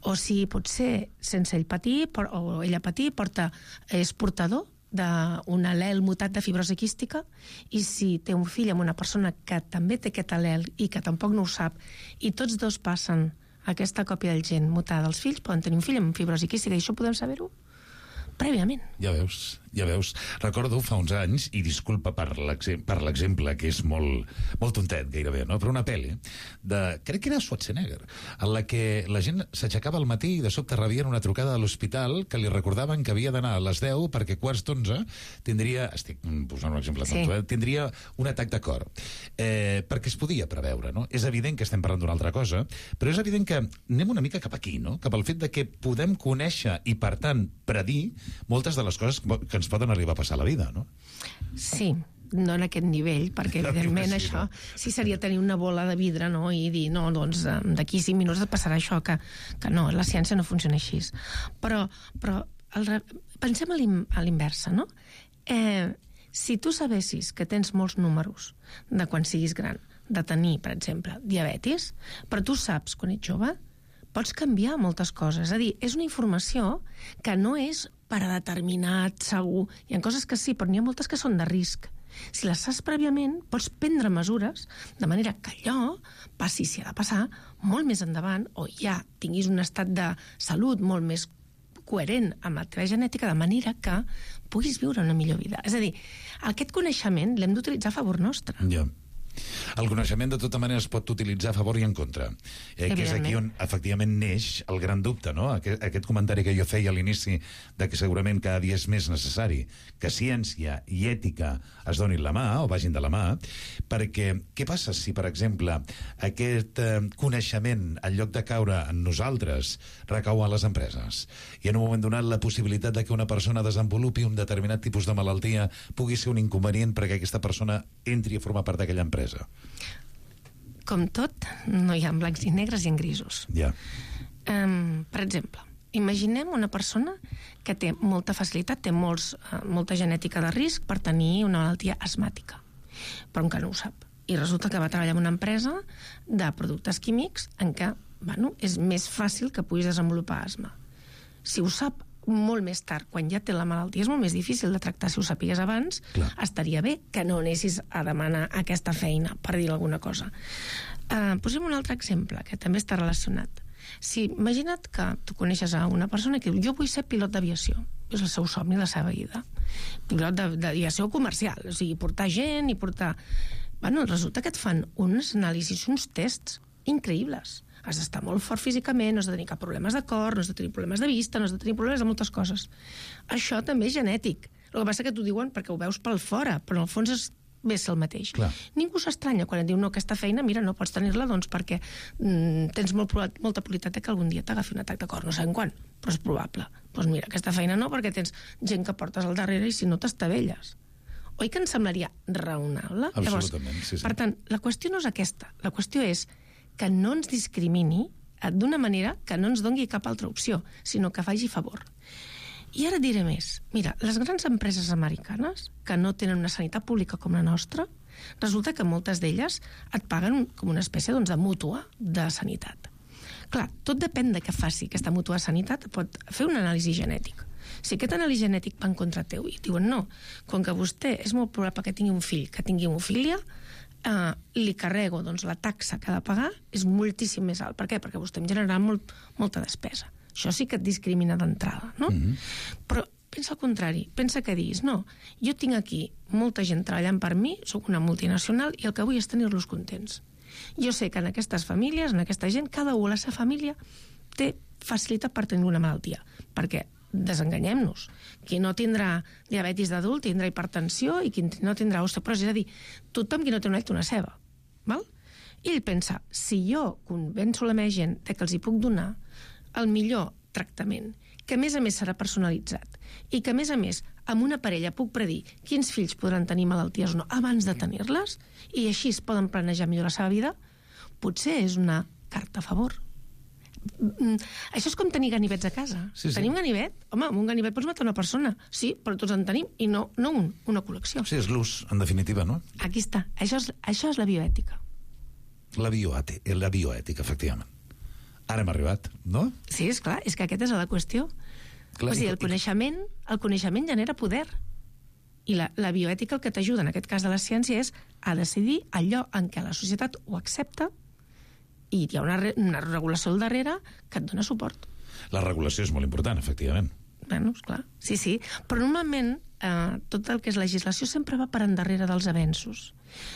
O si potser, sense ell patir, o ella patir, porta, és portador d'un al·lel mutat de fibrosi quística, i si té un fill amb una persona que també té aquest al·lel i que tampoc no ho sap, i tots dos passen aquesta còpia del gen mutada dels fills, poden tenir un fill amb fibrosi quística, i això podem saber-ho prèviament. Ja veus, ja veus. Recordo fa uns anys, i disculpa per l'exemple, que és molt, molt tontet gairebé, no? Però una pel·li de, crec que era Schwarzenegger, en la que la gent s'aixecava al matí i de sobte rebien una trucada a l'hospital que li recordaven que havia d'anar a les deu perquè quarts d'onze tindria, estic posant un exemple tonto, sí. eh? tindria un atac de cor. Eh, perquè es podia preveure, no? És evident que estem parlant d'una altra cosa, però és evident que anem una mica cap aquí, no? Cap al fet de que podem conèixer i, per tant, predir moltes de les coses que ens poden arribar a passar a la vida, no? Sí, no en aquest nivell, perquè evidentment sí, això no? sí seria tenir una bola de vidre, no? I dir, no, doncs d'aquí cinc minuts et passarà això, que, que no, la ciència no funciona així. Però, però el, pensem a l'inversa, no? Eh, si tu sabessis que tens molts números de quan siguis gran, de tenir, per exemple, diabetis, però tu saps quan ets jove, pots canviar moltes coses. És a dir, és una informació que no és per a determinat, segur. Hi ha coses que sí, però n'hi ha moltes que són de risc. Si les saps prèviament, pots prendre mesures de manera que allò passi, si ha de passar, molt més endavant, o ja tinguis un estat de salut molt més coherent amb la teva genètica, de manera que puguis viure una millor vida. És a dir, aquest coneixement l'hem d'utilitzar a favor nostre. Ja. El coneixement, de tota manera, es pot utilitzar a favor i en contra. Eh, que és aquí on, efectivament, neix el gran dubte, no? Aquest, aquest comentari que jo feia a l'inici de que segurament cada dia és més necessari que ciència i ètica es donin la mà, o vagin de la mà, perquè què passa si, per exemple, aquest eh, coneixement, en lloc de caure en nosaltres, recau a les empreses? I en un moment donat la possibilitat de que una persona desenvolupi un determinat tipus de malaltia pugui ser un inconvenient perquè aquesta persona entri a formar part d'aquella empresa. Com tot, no hi ha blancs i negres i en grisos. Ja. Um, per exemple, imaginem una persona que té molta facilitat, té molts, uh, molta genètica de risc per tenir una malaltia asmàtica, però encara no ho sap. I resulta que va treballar en una empresa de productes químics en què, bueno, és més fàcil que puguis desenvolupar asma. Si ho sap molt més tard, quan ja té la malaltia, és molt més difícil de tractar. Si ho sapigués abans, clar, estaria bé que no anessis a demanar aquesta feina, per dir alguna cosa. Uh, posem un altre exemple, que també està relacionat. Si, imagina't que tu coneixes a una persona que diu, jo vull ser pilot d'aviació. És el seu somni, la seva vida. Pilot d'aviació comercial, o sigui, portar gent i portar... Bueno, resulta que et fan uns anàlisis, uns tests increïbles. Has d'estar molt fort físicament, no has de tenir cap problemes de cor, no has de tenir problemes de vista, no has de tenir problemes de moltes coses. Això també és genètic. El que passa que t'ho diuen perquè ho veus pel fora, però en el fons és bé ser el mateix. Clar. Ningú s'estranya quan et diu, no, aquesta feina, mira, no pots tenir-la, doncs perquè mm, tens molt, molta probabilitat que algun dia t'agafi un atac de cor, no sabem quan, però és probable. Doncs mira, aquesta feina no, perquè tens gent que portes al darrere i si no t'estavelles. Oi que ens semblaria raonable? Absolutament, Llavors, sí, sí. Per tant, la qüestió no és aquesta. La qüestió és que no ens discrimini d'una manera que no ens doni cap altra opció, sinó que faci favor. I ara et diré més. Mira, les grans empreses americanes, que no tenen una sanitat pública com la nostra, resulta que moltes d'elles et paguen com una espècie doncs, de mútua de sanitat. Clar, tot depèn de què faci aquesta mútua de sanitat, pot fer un anàlisi genètic. Si aquest anàlisi genètic va en contra teu i diuen no, com que vostè és molt probable que tingui un fill, que tingui hemofília, Uh, li carrego, doncs la taxa que ha de pagar és moltíssim més alt. Per què? Perquè vostè em generarà molt, molta despesa. Això sí que et discrimina d'entrada, no? Mm-hmm. Però pensa al contrari, pensa que diguis, no, jo tinc aquí molta gent treballant per mi, sóc una multinacional i el que vull és tenir-los contents. Jo sé que en aquestes famílies, en aquesta gent, cada un a la seva família té facilitat per tenir una malaltia. Perquè desenganyem-nos. Qui no tindrà diabetis d'adult tindrà hipertensió i qui no tindrà osteoporosi. És a dir, tothom qui no té un ull té una ceba. Val? I ell pensa, si jo convenço la meva gent que els hi puc donar el millor tractament, que a més a més serà personalitzat i que a més a més amb una parella puc predir quins fills podran tenir malalties o no abans de tenir-les i així es poden planejar millor la seva vida, potser és una carta a favor. Això és com tenir ganivets a casa. Sí, sí. Tenim ganivet? Home, amb un ganivet pots matar una persona. Sí, però tots en tenim, i no, no un, una col·lecció. Sí, és l'ús, en definitiva, no? Aquí està. Això és, això és la bioètica. La bioètica, la bioètica, efectivament. Ara hem arribat, no? Sí, és clar, és que aquesta és la qüestió. Clar, o sigui, el coneixement, el coneixement genera poder. I la, la bioètica el que t'ajuda, en aquest cas de la ciència, és a decidir allò en què la societat ho accepta i hi ha una, re, una regulació al darrere que et dona suport. La regulació és molt important, efectivament. Bueno, esclar, sí, sí. Però normalment eh, tot el que és legislació sempre va per endarrere dels avenços.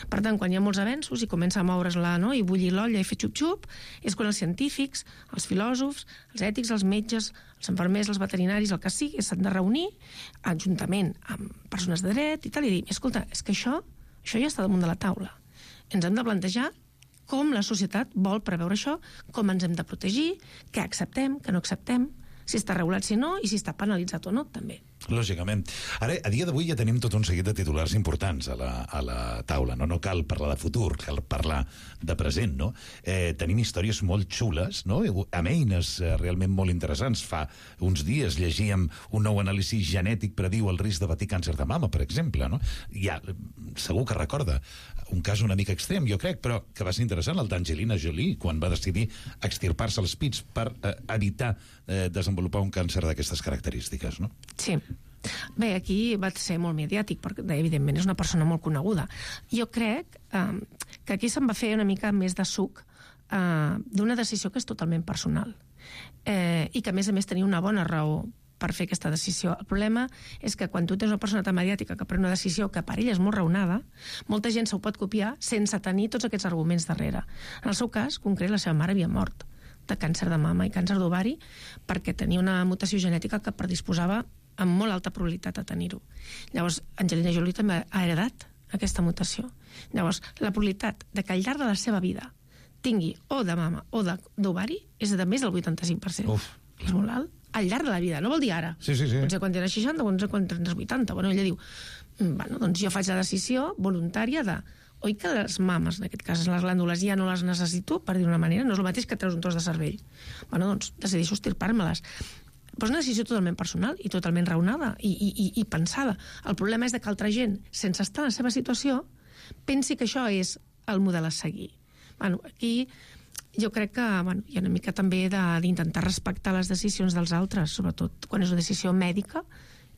Per tant, quan hi ha molts avenços i comença a moure's-la, no?, i bullir l'olla i fer xup-xup, és quan els científics, els filòsofs, els ètics, els metges, els infermers, els veterinaris, el que sigui, s'han de reunir juntament amb persones de dret i tal, i dir, escolta, és que això, això ja està damunt de la taula. Ens hem de plantejar com la societat vol preveure això, com ens hem de protegir, què acceptem, què no acceptem, si està regulat, si no, i si està penalitzat o no, també. Lògicament. Ara, a dia d'avui ja tenim tot un seguit de titulars importants a la, a la taula, no? No cal parlar de futur, cal parlar de present, no? Eh, tenim històries molt xules, no? Amb eines eh, realment molt interessants. Fa uns dies llegíem un nou anàlisi genètic prediu el risc de patir càncer de mama, per exemple, no? Ja, segur que recorda un cas una mica extrem, jo crec, però que va ser interessant, el d'Angelina Jolie, quan va decidir extirpar-se els pits per eh, evitar eh, desenvolupar un càncer d'aquestes característiques, no? Sí. Bé, aquí va ser molt mediàtic, perquè evidentment és una persona molt coneguda. Jo crec eh, que aquí se'n va fer una mica més de suc eh, d'una decisió que és totalment personal eh, i que a més a més tenia una bona raó per fer aquesta decisió. El problema és que quan tu tens una persona tan mediàtica que pren una decisió que per ella és molt raonada, molta gent s'ho pot copiar sense tenir tots aquests arguments darrere. En el seu cas, concret, la seva mare havia mort de càncer de mama i càncer d'ovari perquè tenia una mutació genètica que predisposava amb molt alta probabilitat a tenir-ho. Llavors, Angelina Jolie també ha heredat aquesta mutació. Llavors, la probabilitat de que al llarg de la seva vida tingui o de mama o d'ovari és de més del vuitanta-cinc per cent. Uf. És molt alt. Al llarg de la vida, no vol dir ara. Sí, sí, sí. Potser quan tens seixanta, potser quan tens vuitanta. Bueno, ella diu, bueno, doncs jo faig la decisió voluntària de oi que les mames, en aquest cas les glàndules, ja no les necessito, per dir una manera, no és el mateix que treus un tros de cervell. Bueno, doncs decideixo estirpar-me-les. Però és una decisió totalment personal i totalment raonada i, i, i pensada. El problema és que altra gent, sense estar en la seva situació, pensi que això és el model a seguir. Bueno, aquí jo crec que bueno, hi ha una mica també d'intentar respectar les decisions dels altres, sobretot quan és una decisió mèdica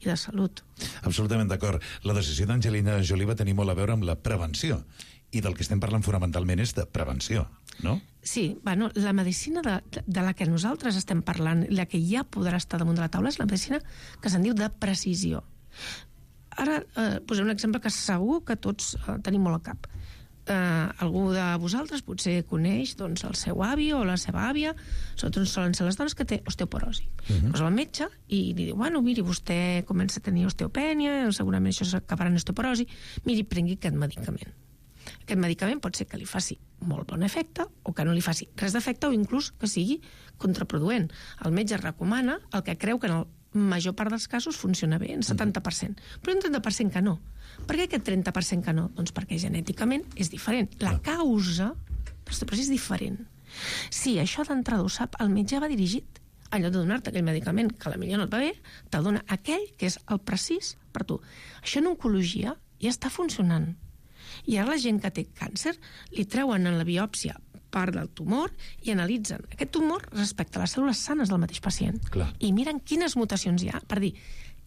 i de salut. Absolutament d'acord. La decisió d'Angelina Jolie va tenir molt a veure amb la prevenció. I del que estem parlant fonamentalment és de prevenció, no? Sí, bueno, la medicina de, de la que nosaltres estem parlant, la que ja podrà estar damunt de la taula, és la medicina que se'n diu de precisió. Ara eh, posem un exemple que segur que tots eh, tenim molt al cap. Eh, algú de vosaltres potser coneix doncs, el seu avi o la seva àvia, sobretot solen ser les dones, que té osteoporosi. Uh-huh. Pues va al metge i li diu, bueno, miri, vostè comença a tenir osteopènia, segurament això s'acabarà en osteoporosi, miri, prengui aquest medicament. Aquest medicament pot ser que li faci molt bon efecte o que no li faci res d'efecte o inclús que sigui contraproduent. El metge recomana el que creu que en la major part dels casos funciona bé, en setanta per cent. Però un trenta per cent que no. Per què aquest trenta per cent que no? Doncs perquè genèticament és diferent. La causa de l'osteoporosi és diferent. Si això d'entrada ho sap, el metge va dirigit. En lloc de donar-te aquell medicament que a la millor no et va bé, te'l dona aquell que és el precís per tu. Això en oncologia ja està funcionant. I ara la gent que té càncer li treuen en la biòpsia part del tumor i analitzen aquest tumor respecte a les cèl·lules sanes del mateix pacient. Clar. I miren quines mutacions hi ha per dir,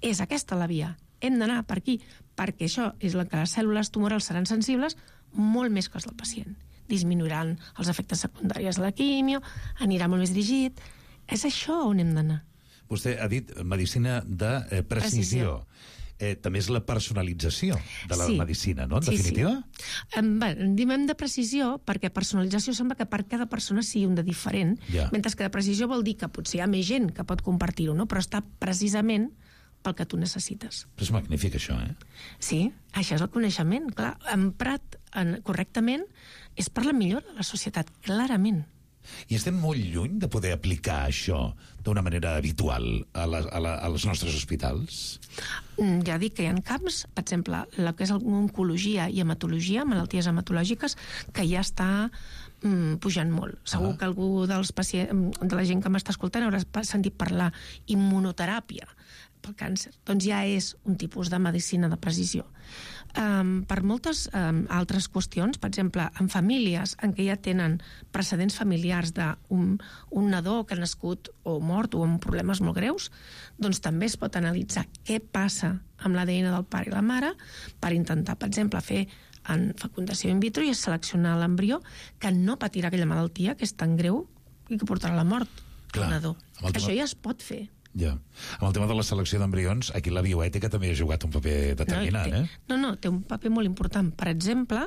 és aquesta la via, hem d'anar per aquí, perquè això és la que les cèl·lules tumorals seran sensibles molt més que les del pacient. Disminuiran els efectes secundaris de la quimio, anirà molt més dirigit. És això on hem d'anar. Vostè ha dit medicina de eh, precisió. precisió. Eh, també és la personalització de la sí. medicina, no? En sí, definitiva? Sí. Um, bé, diem de precisió perquè personalització sembla que per cada persona sigui un de diferent, ja. Mentre que de precisió vol dir que potser hi ha més gent que pot compartir-ho, no? Però està precisament pel que tu necessites. Però és magnífic, això, eh? Sí, això és el coneixement. Clar, emprat en, correctament és per la millora de la societat, clarament. I estem molt lluny de poder aplicar això d'una manera habitual a, la, a, la, a els nostres hospitals? Ja dic que hi ha camps, per exemple, el que és oncologia i hematologia, malalties hematològiques, que ja està mm, pujant molt. Segur que algú dels pacients, de la gent que m'està escoltant haurà sentit parlar immunoteràpia pel càncer. Doncs ja és un tipus de medicina de precisió. Um, per moltes um, altres qüestions, per exemple, en famílies en què ja tenen precedents familiars d'un un nadó que ha nascut o mort o amb problemes molt greus, doncs també es pot analitzar què passa amb l'A D N del pare i la mare per intentar, per exemple, fer en fecundació in vitro i seleccionar l'embrió que no patirà aquella malaltia que és tan greu i que portarà a la mort del nadó. Això ja es pot fer. Ja. Amb el tema de la selecció d'embrions, aquí la bioètica també ha jugat un paper determinant, no, té, eh? No, no, té un paper molt important. Per exemple,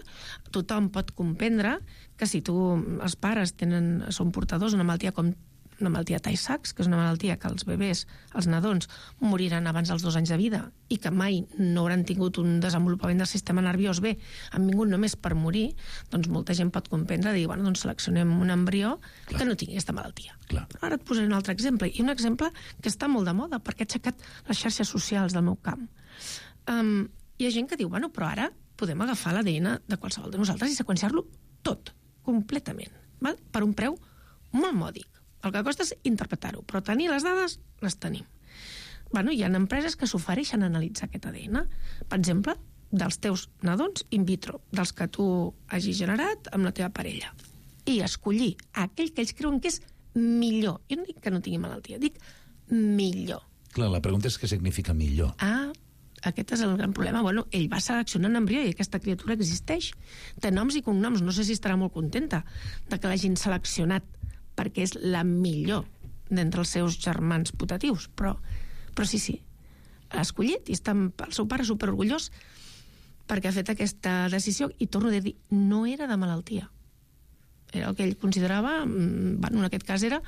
tothom pot comprendre que si tu, els pares tenen, són portadors d'una malaltia com una malaltia Tay-Sachs, que és una malaltia que els bebès, els nadons, moriran abans dels dos anys de vida i que mai no hauran tingut un desenvolupament del sistema nerviós bé, han vingut només per morir, doncs molta gent pot comprendre, dir, bueno, doncs seleccionem un embrió Clar. que no tingui aquesta malaltia. Clar. Però ara et posaré un altre exemple, i un exemple que està molt de moda, perquè ha aixecat les xarxes socials del meu camp. Um, hi ha gent que diu, bueno, però ara podem agafar l'A D N de qualsevol de nosaltres i seqüenciar-lo tot, completament, val? Per un preu molt mòdic. El que costa és interpretar-ho, però tenir les dades, les tenim. Bueno, hi ha empreses que s'ofereixen a analitzar aquest A D N. Per exemple, dels teus nadons in vitro, dels que tu hagis generat amb la teva parella. I escollir aquell que ells creuen que és millor. Jo no dic que no tingui malaltia, dic millor. Clar, la pregunta és què significa millor. Ah, aquest és el gran problema. Bueno, ell va seleccionar un embrió i aquesta criatura existeix. Té noms i cognoms. No sé si estarà molt contenta de que l'hagin seleccionat perquè és la millor d'entre els seus germans putatius, però, però sí, sí, l'ha escollit i està el seu pare superorgullós perquè ha fet aquesta decisió i torno a dir, no era de malaltia. Era el que ell considerava, bueno, en aquest cas era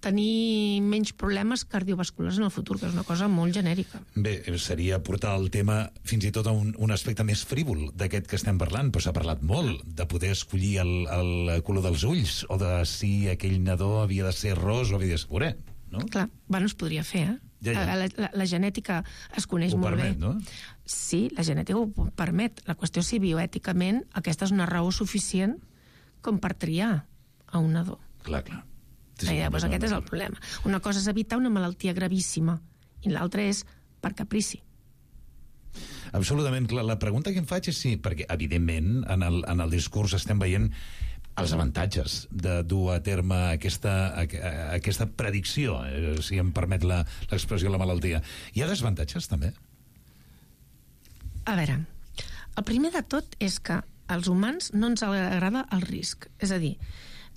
tenir menys problemes cardiovasculars en el futur, que és una cosa molt genèrica. Bé, seria portar el tema fins i tot a un, un aspecte més frívol d'aquest que estem parlant, però s'ha parlat molt de poder escollir el, el color dels ulls o de si aquell nadó havia de ser ros o havia de ser morè, no? Clar, bueno, es podria fer, eh? Ja, ja. La, la, la genètica es coneix ho molt permet, bé. No? Sí, la genètica ho permet. La qüestió és si bioèticament aquesta és una raó suficient com per triar a un nadó. Clar, clar. Sí, sí, ja, doncs aquest és el problema. Una cosa és evitar una malaltia gravíssima i l'altra és per caprici. Absolutament. La, la pregunta que em faig és sí, perquè evidentment en el, en el discurs estem veient els avantatges de dur a terme aquesta, aquesta predicció, eh, si em permet l'expressió de la malaltia. Hi ha desavantatges, també? A veure, el primer de tot és que als humans no ens agrada el risc. És a dir,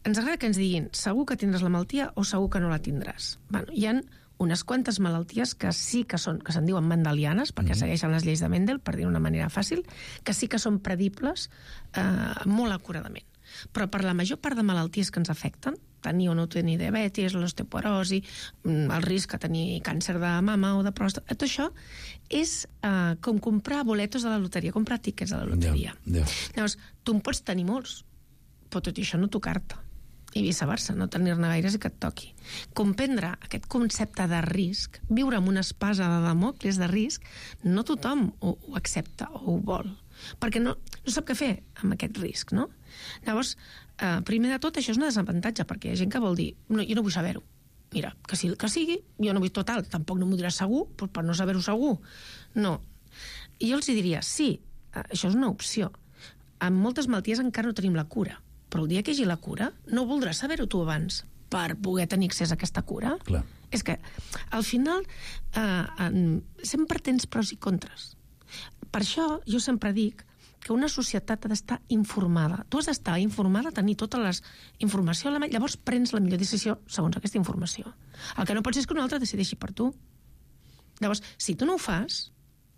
ens agrada que ens diguin segur que tindràs la malaltia o segur que no la tindràs. Bueno, hi ha unes quantes malalties que sí que són, que se'n diuen mendelianes, perquè mm-hmm. segueixen les lleis de Mendel, per dir d'una manera fàcil, que sí que són predibles eh, molt acuradament. Però per la major part de malalties que ens afecten, tenir o no tenir diabetis, l'osteoporosi, el risc de tenir càncer de mama o de pròstata, tot això és eh, com comprar boletos de la loteria, comprar tiquets de la loteria. Yeah, yeah. Llavors, tu en pots tenir molts, però tot i això no tocar-te. I viceversa, no tenir-ne gaires i que et toqui. Comprendre aquest concepte de risc, viure amb una espasa de Damocles de risc, no tothom ho, ho accepta o ho vol, perquè no, no sap què fer amb aquest risc, no? Llavors, eh, primer de tot, això és un desavantatge, perquè hi ha gent que vol dir, no, jo no vull saber-ho. Mira, que sí, que sigui, jo no vull total, tampoc no m'ho diràs segur, però per no saber-ho segur. No. I jo els diria, sí, això és una opció. En moltes malalties encara no tenim la cura, però el dia que hi hagi la cura no voldràs saber-ho tu abans per poder tenir accés a aquesta cura. Clar. És que al final eh, sempre tens pros i contres. Per això jo sempre dic que una societat ha d'estar informada. Tu has d'estar informada, tenir tota la informació a la mà, llavors prens la millor decisió segons aquesta informació. El que no pot ser és que un altre decideixi per tu. Llavors, si tu no ho fas,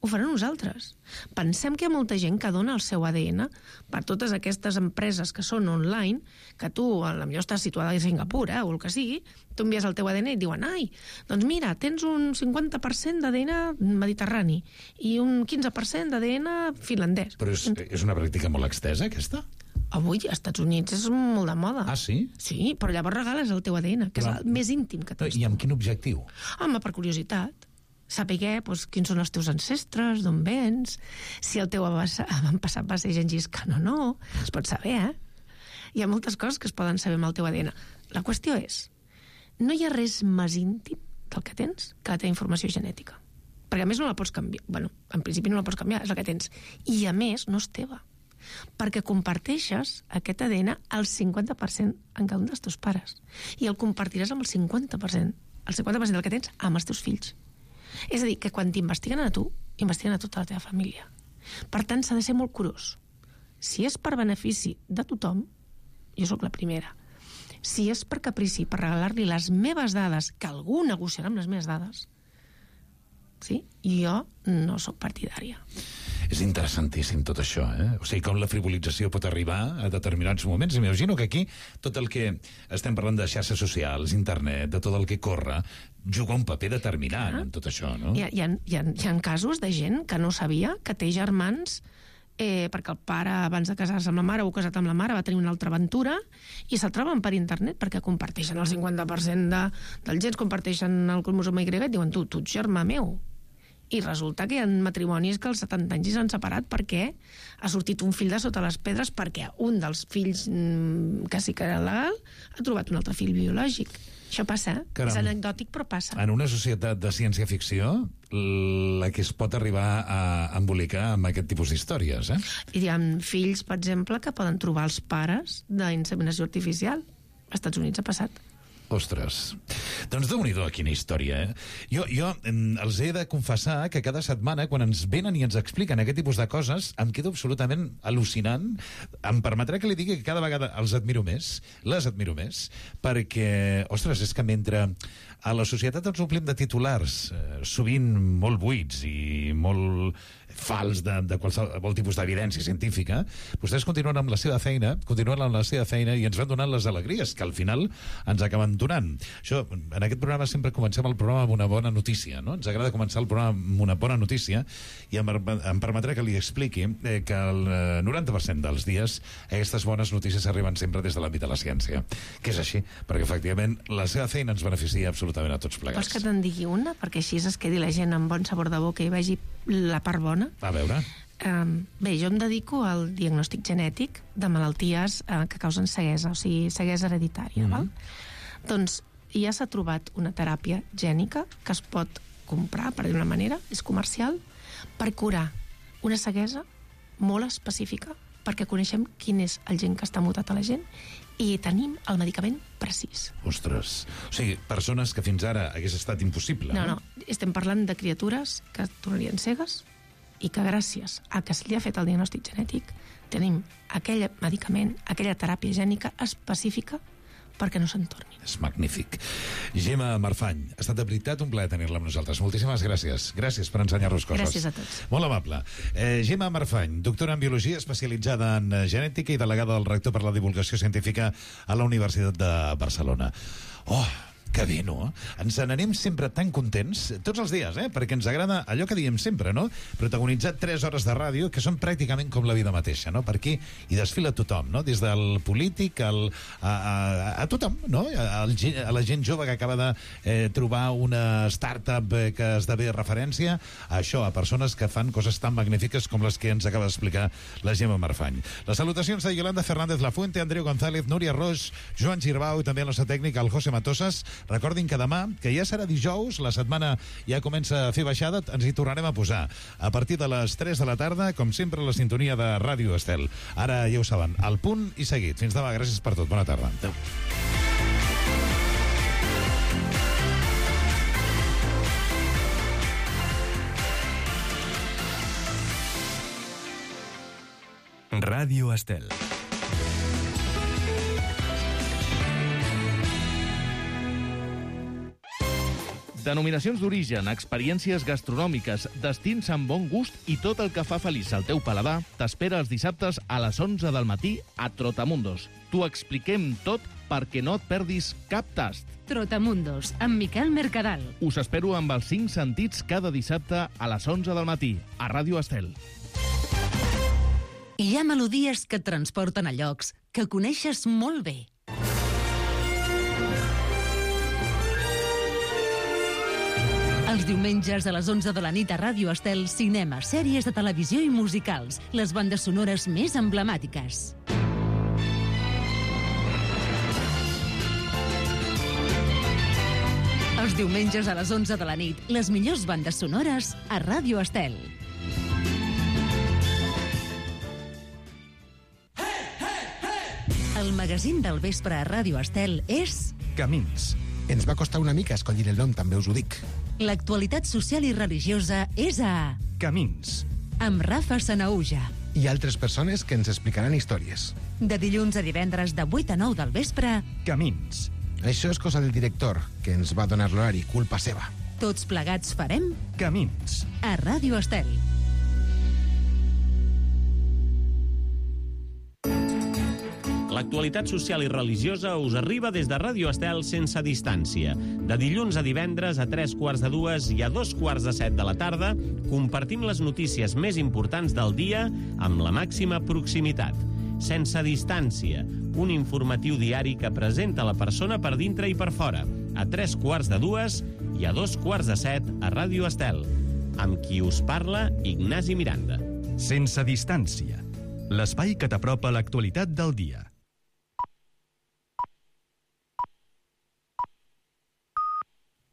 ho faran nosaltres. Pensem que hi ha molta gent que dona el seu A D N per totes aquestes empreses que són online, que tu, potser estàs situada a Singapur, eh, o el que sigui, tu envies el teu A D N i et diuen, ai, doncs mira, tens un cinquanta per cent d'A D N mediterrani i un quinze per cent d'A D N finlandès. Però és, és una pràctica molt extesa, aquesta? Avui, als Estats Units, és molt de moda. Ah, sí? Sí, però llavors regales el teu A D N, que però, és el més íntim que tens. I amb quin objectiu? Home, per curiositat. Saber doncs, quins són els teus ancestres, d'on vens, si el teu avantpassat va ser Gengis Khan o no, es pot saber, eh? Hi ha moltes coses que es poden saber amb el teu A D N. La qüestió és, no hi ha res més íntim del que tens que la teva informació genètica. Perquè a més no la pots canviar. Bueno, en principi no la pots canviar, és la que tens. I a més no és teva. Perquè comparteixes aquest A D N al cinquanta per cent en cada un dels teus pares. I el compartiràs amb el cinquanta per cent, el cinquanta per cent del que tens amb els teus fills. És a dir, que quan t'investiguen a tu, investiguen a tota la teva família. Per tant, s'ha de ser molt curós. Si és per benefici de tothom, jo sóc la primera. Si és per caprici, per regalar-li les meves dades, que algú negociarà amb les meves dades, sí, jo no sóc partidària. És interessantíssim tot això, eh? O sigui, com la frivolització pot arribar a determinats moments. M'imagino que aquí tot el que estem parlant de xarxes socials, internet, de tot el que corre, juga un paper determinant en tot això, no? Hi ha, hi ha, hi ha, hi ha casos de gent que no sabia que té germans eh, perquè el pare, abans de casar-se amb la mare o casat amb la mare, va tenir una altra aventura i se'l troben per internet perquè comparteixen el cinquanta per cent de, dels gens, comparteixen el cromosoma Y i diuen, tu, tu ets germà meu. I resulta que hi ha matrimonis que als setanta anys s'han separat perquè ha sortit un fill de sota les pedres perquè un dels fills mmm, que sí que era legal ha trobat un altre fill biològic. Això passa, eh? Caram. És anecdòtic, però passa. En una societat de ciència-ficció, la que es pot arribar a embolicar amb aquest tipus d'històries, eh? I hi ha fills, per exemple, que poden trobar els pares d'inseminació artificial. Als Estats Units ha passat. Ostres, doncs déu-n'hi-do, quina història, eh? Jo, jo em, els he de confessar que cada setmana, quan ens venen i ens expliquen aquest tipus de coses, em quedo absolutament al·lucinant. Em permetrà que li digui que cada vegada els admiro més, les admiro més, perquè, ostres, és que mentre a la societat ens omplim de titulars, eh, sovint molt buits i molt fals de, de qualsevol tipus d'evidència científica, vostès continuen amb la seva feina, continuen amb la seva feina i ens van donant les alegries que al final ens acaben donant. Això, en aquest programa sempre comencem el programa amb una bona notícia, no? Ens agrada començar el programa amb una bona notícia i em, em permetrà que li expliqui eh, que el noranta per cent dels dies aquestes bones notícies arriben sempre des de l'àmbit de la ciència, que és així, perquè efectivament la seva feina ens beneficia absolutament a tots plegats. Vols que te'n digui una? Perquè així es quedi la gent amb bon sabor de boca i vegi la part bona. A veure. Um, bé, jo em dedico al diagnòstic genètic de malalties uh, que causen ceguesa, o sigui, ceguesa hereditària. Mm-hmm. Val? Doncs ja s'ha trobat una teràpia gènica que es pot comprar, per dir-ho d'una manera, és comercial, per curar una ceguesa molt específica, perquè coneixem quin és el gen que està mutat a la gent i tenim el medicament precís. Ostres, o sigui, persones que fins ara hagués estat impossible. No, no, estem parlant de criatures que tornarien cegues i que gràcies a que se li ha fet el diagnòstic genètic tenim aquell medicament, aquella teràpia gènica específica perquè no se'n tornin. És magnífic. Gemma Marfany, ha estat de veritat un plaer tenir-la amb nosaltres. Moltíssimes gràcies. Gràcies per ensenyar-nos coses. Gràcies a tots. Molt amable. Eh, Gemma Marfany, doctora en Biologia, especialitzada en Genètica i delegada del rector per la divulgació científica a la Universitat de Barcelona. Oh, que bé, no? Ens n'anem sempre tan contents, tots els dies, eh? Perquè ens agrada allò que diem sempre, no? Protagonitzar tres hores de ràdio que són pràcticament com la vida mateixa, no? Per aquí hi desfila tothom, no? Des del polític al, a, a, a tothom, no? A, a la gent jove que acaba de eh, trobar una startup eh, que esdevé referència, a això, a persones que fan coses tan magnífiques com les que ens acaba d'explicar la Gemma Marfany. Les salutacions de Yolanda Fernández Lafuente, Andreu González, Núria Roig, Joan Girbau i també el nostre tècnic, el José Matosas. Recordin que demà, que ja serà dijous, la setmana ja comença a fer baixada, ens hi tornarem a posar. A partir de les tres de la tarda, com sempre, la sintonia de Ràdio Estel. Ara ja ho saben, al punt i seguit. Fins demà, gràcies per tot. Bona tarda. Adéu. Ràdio Estel. Denominacions d'origen, experiències gastronòmiques, destins amb bon gust i tot el que fa feliç al teu paladar t'espera els dissabtes a les onze del matí a Trotamundos. T'ho expliquem tot perquè no et perdis cap tast. Trotamundos, amb Miquel Mercadal. Us espero amb els cinc sentits cada dissabte a les onze del matí a Ràdio Estel. Hi ha melodies que et transporten a llocs que coneixes molt bé. Els diumenges a les onze de la nit a Ràdio Estel, cinema, sèries de televisió i musicals, les bandes sonores més emblemàtiques. Els diumenges a les onze de la nit, les millors bandes sonores a Ràdio Estel. El magazín del vespre a Ràdio Estel és... Camins. Ens va costar una mica escollir el nom, també us ho dic. L'actualitat social i religiosa és a... Camins. Amb Rafa Sanaúja. I altres persones que ens explicaran històries. De dilluns a divendres de vuit a nou del vespre... Camins. Això és cosa del director, que ens va donar l'horari, culpa seva. Tots plegats farem... Camins. A Ràdio Estel. L'actualitat social i religiosa us arriba des de Ràdio Estel sense distància. De dilluns a divendres a tres quarts de dues i a dos quarts de set de la tarda compartim les notícies més importants del dia amb la màxima proximitat. Sense distància, un informatiu diari que presenta la persona per dintre i per fora, a tres quarts de dues i a dos quarts de set a Ràdio Estel. Amb qui us parla, Ignasi Miranda. Sense distància, l'espai que t'apropa l'actualitat del dia.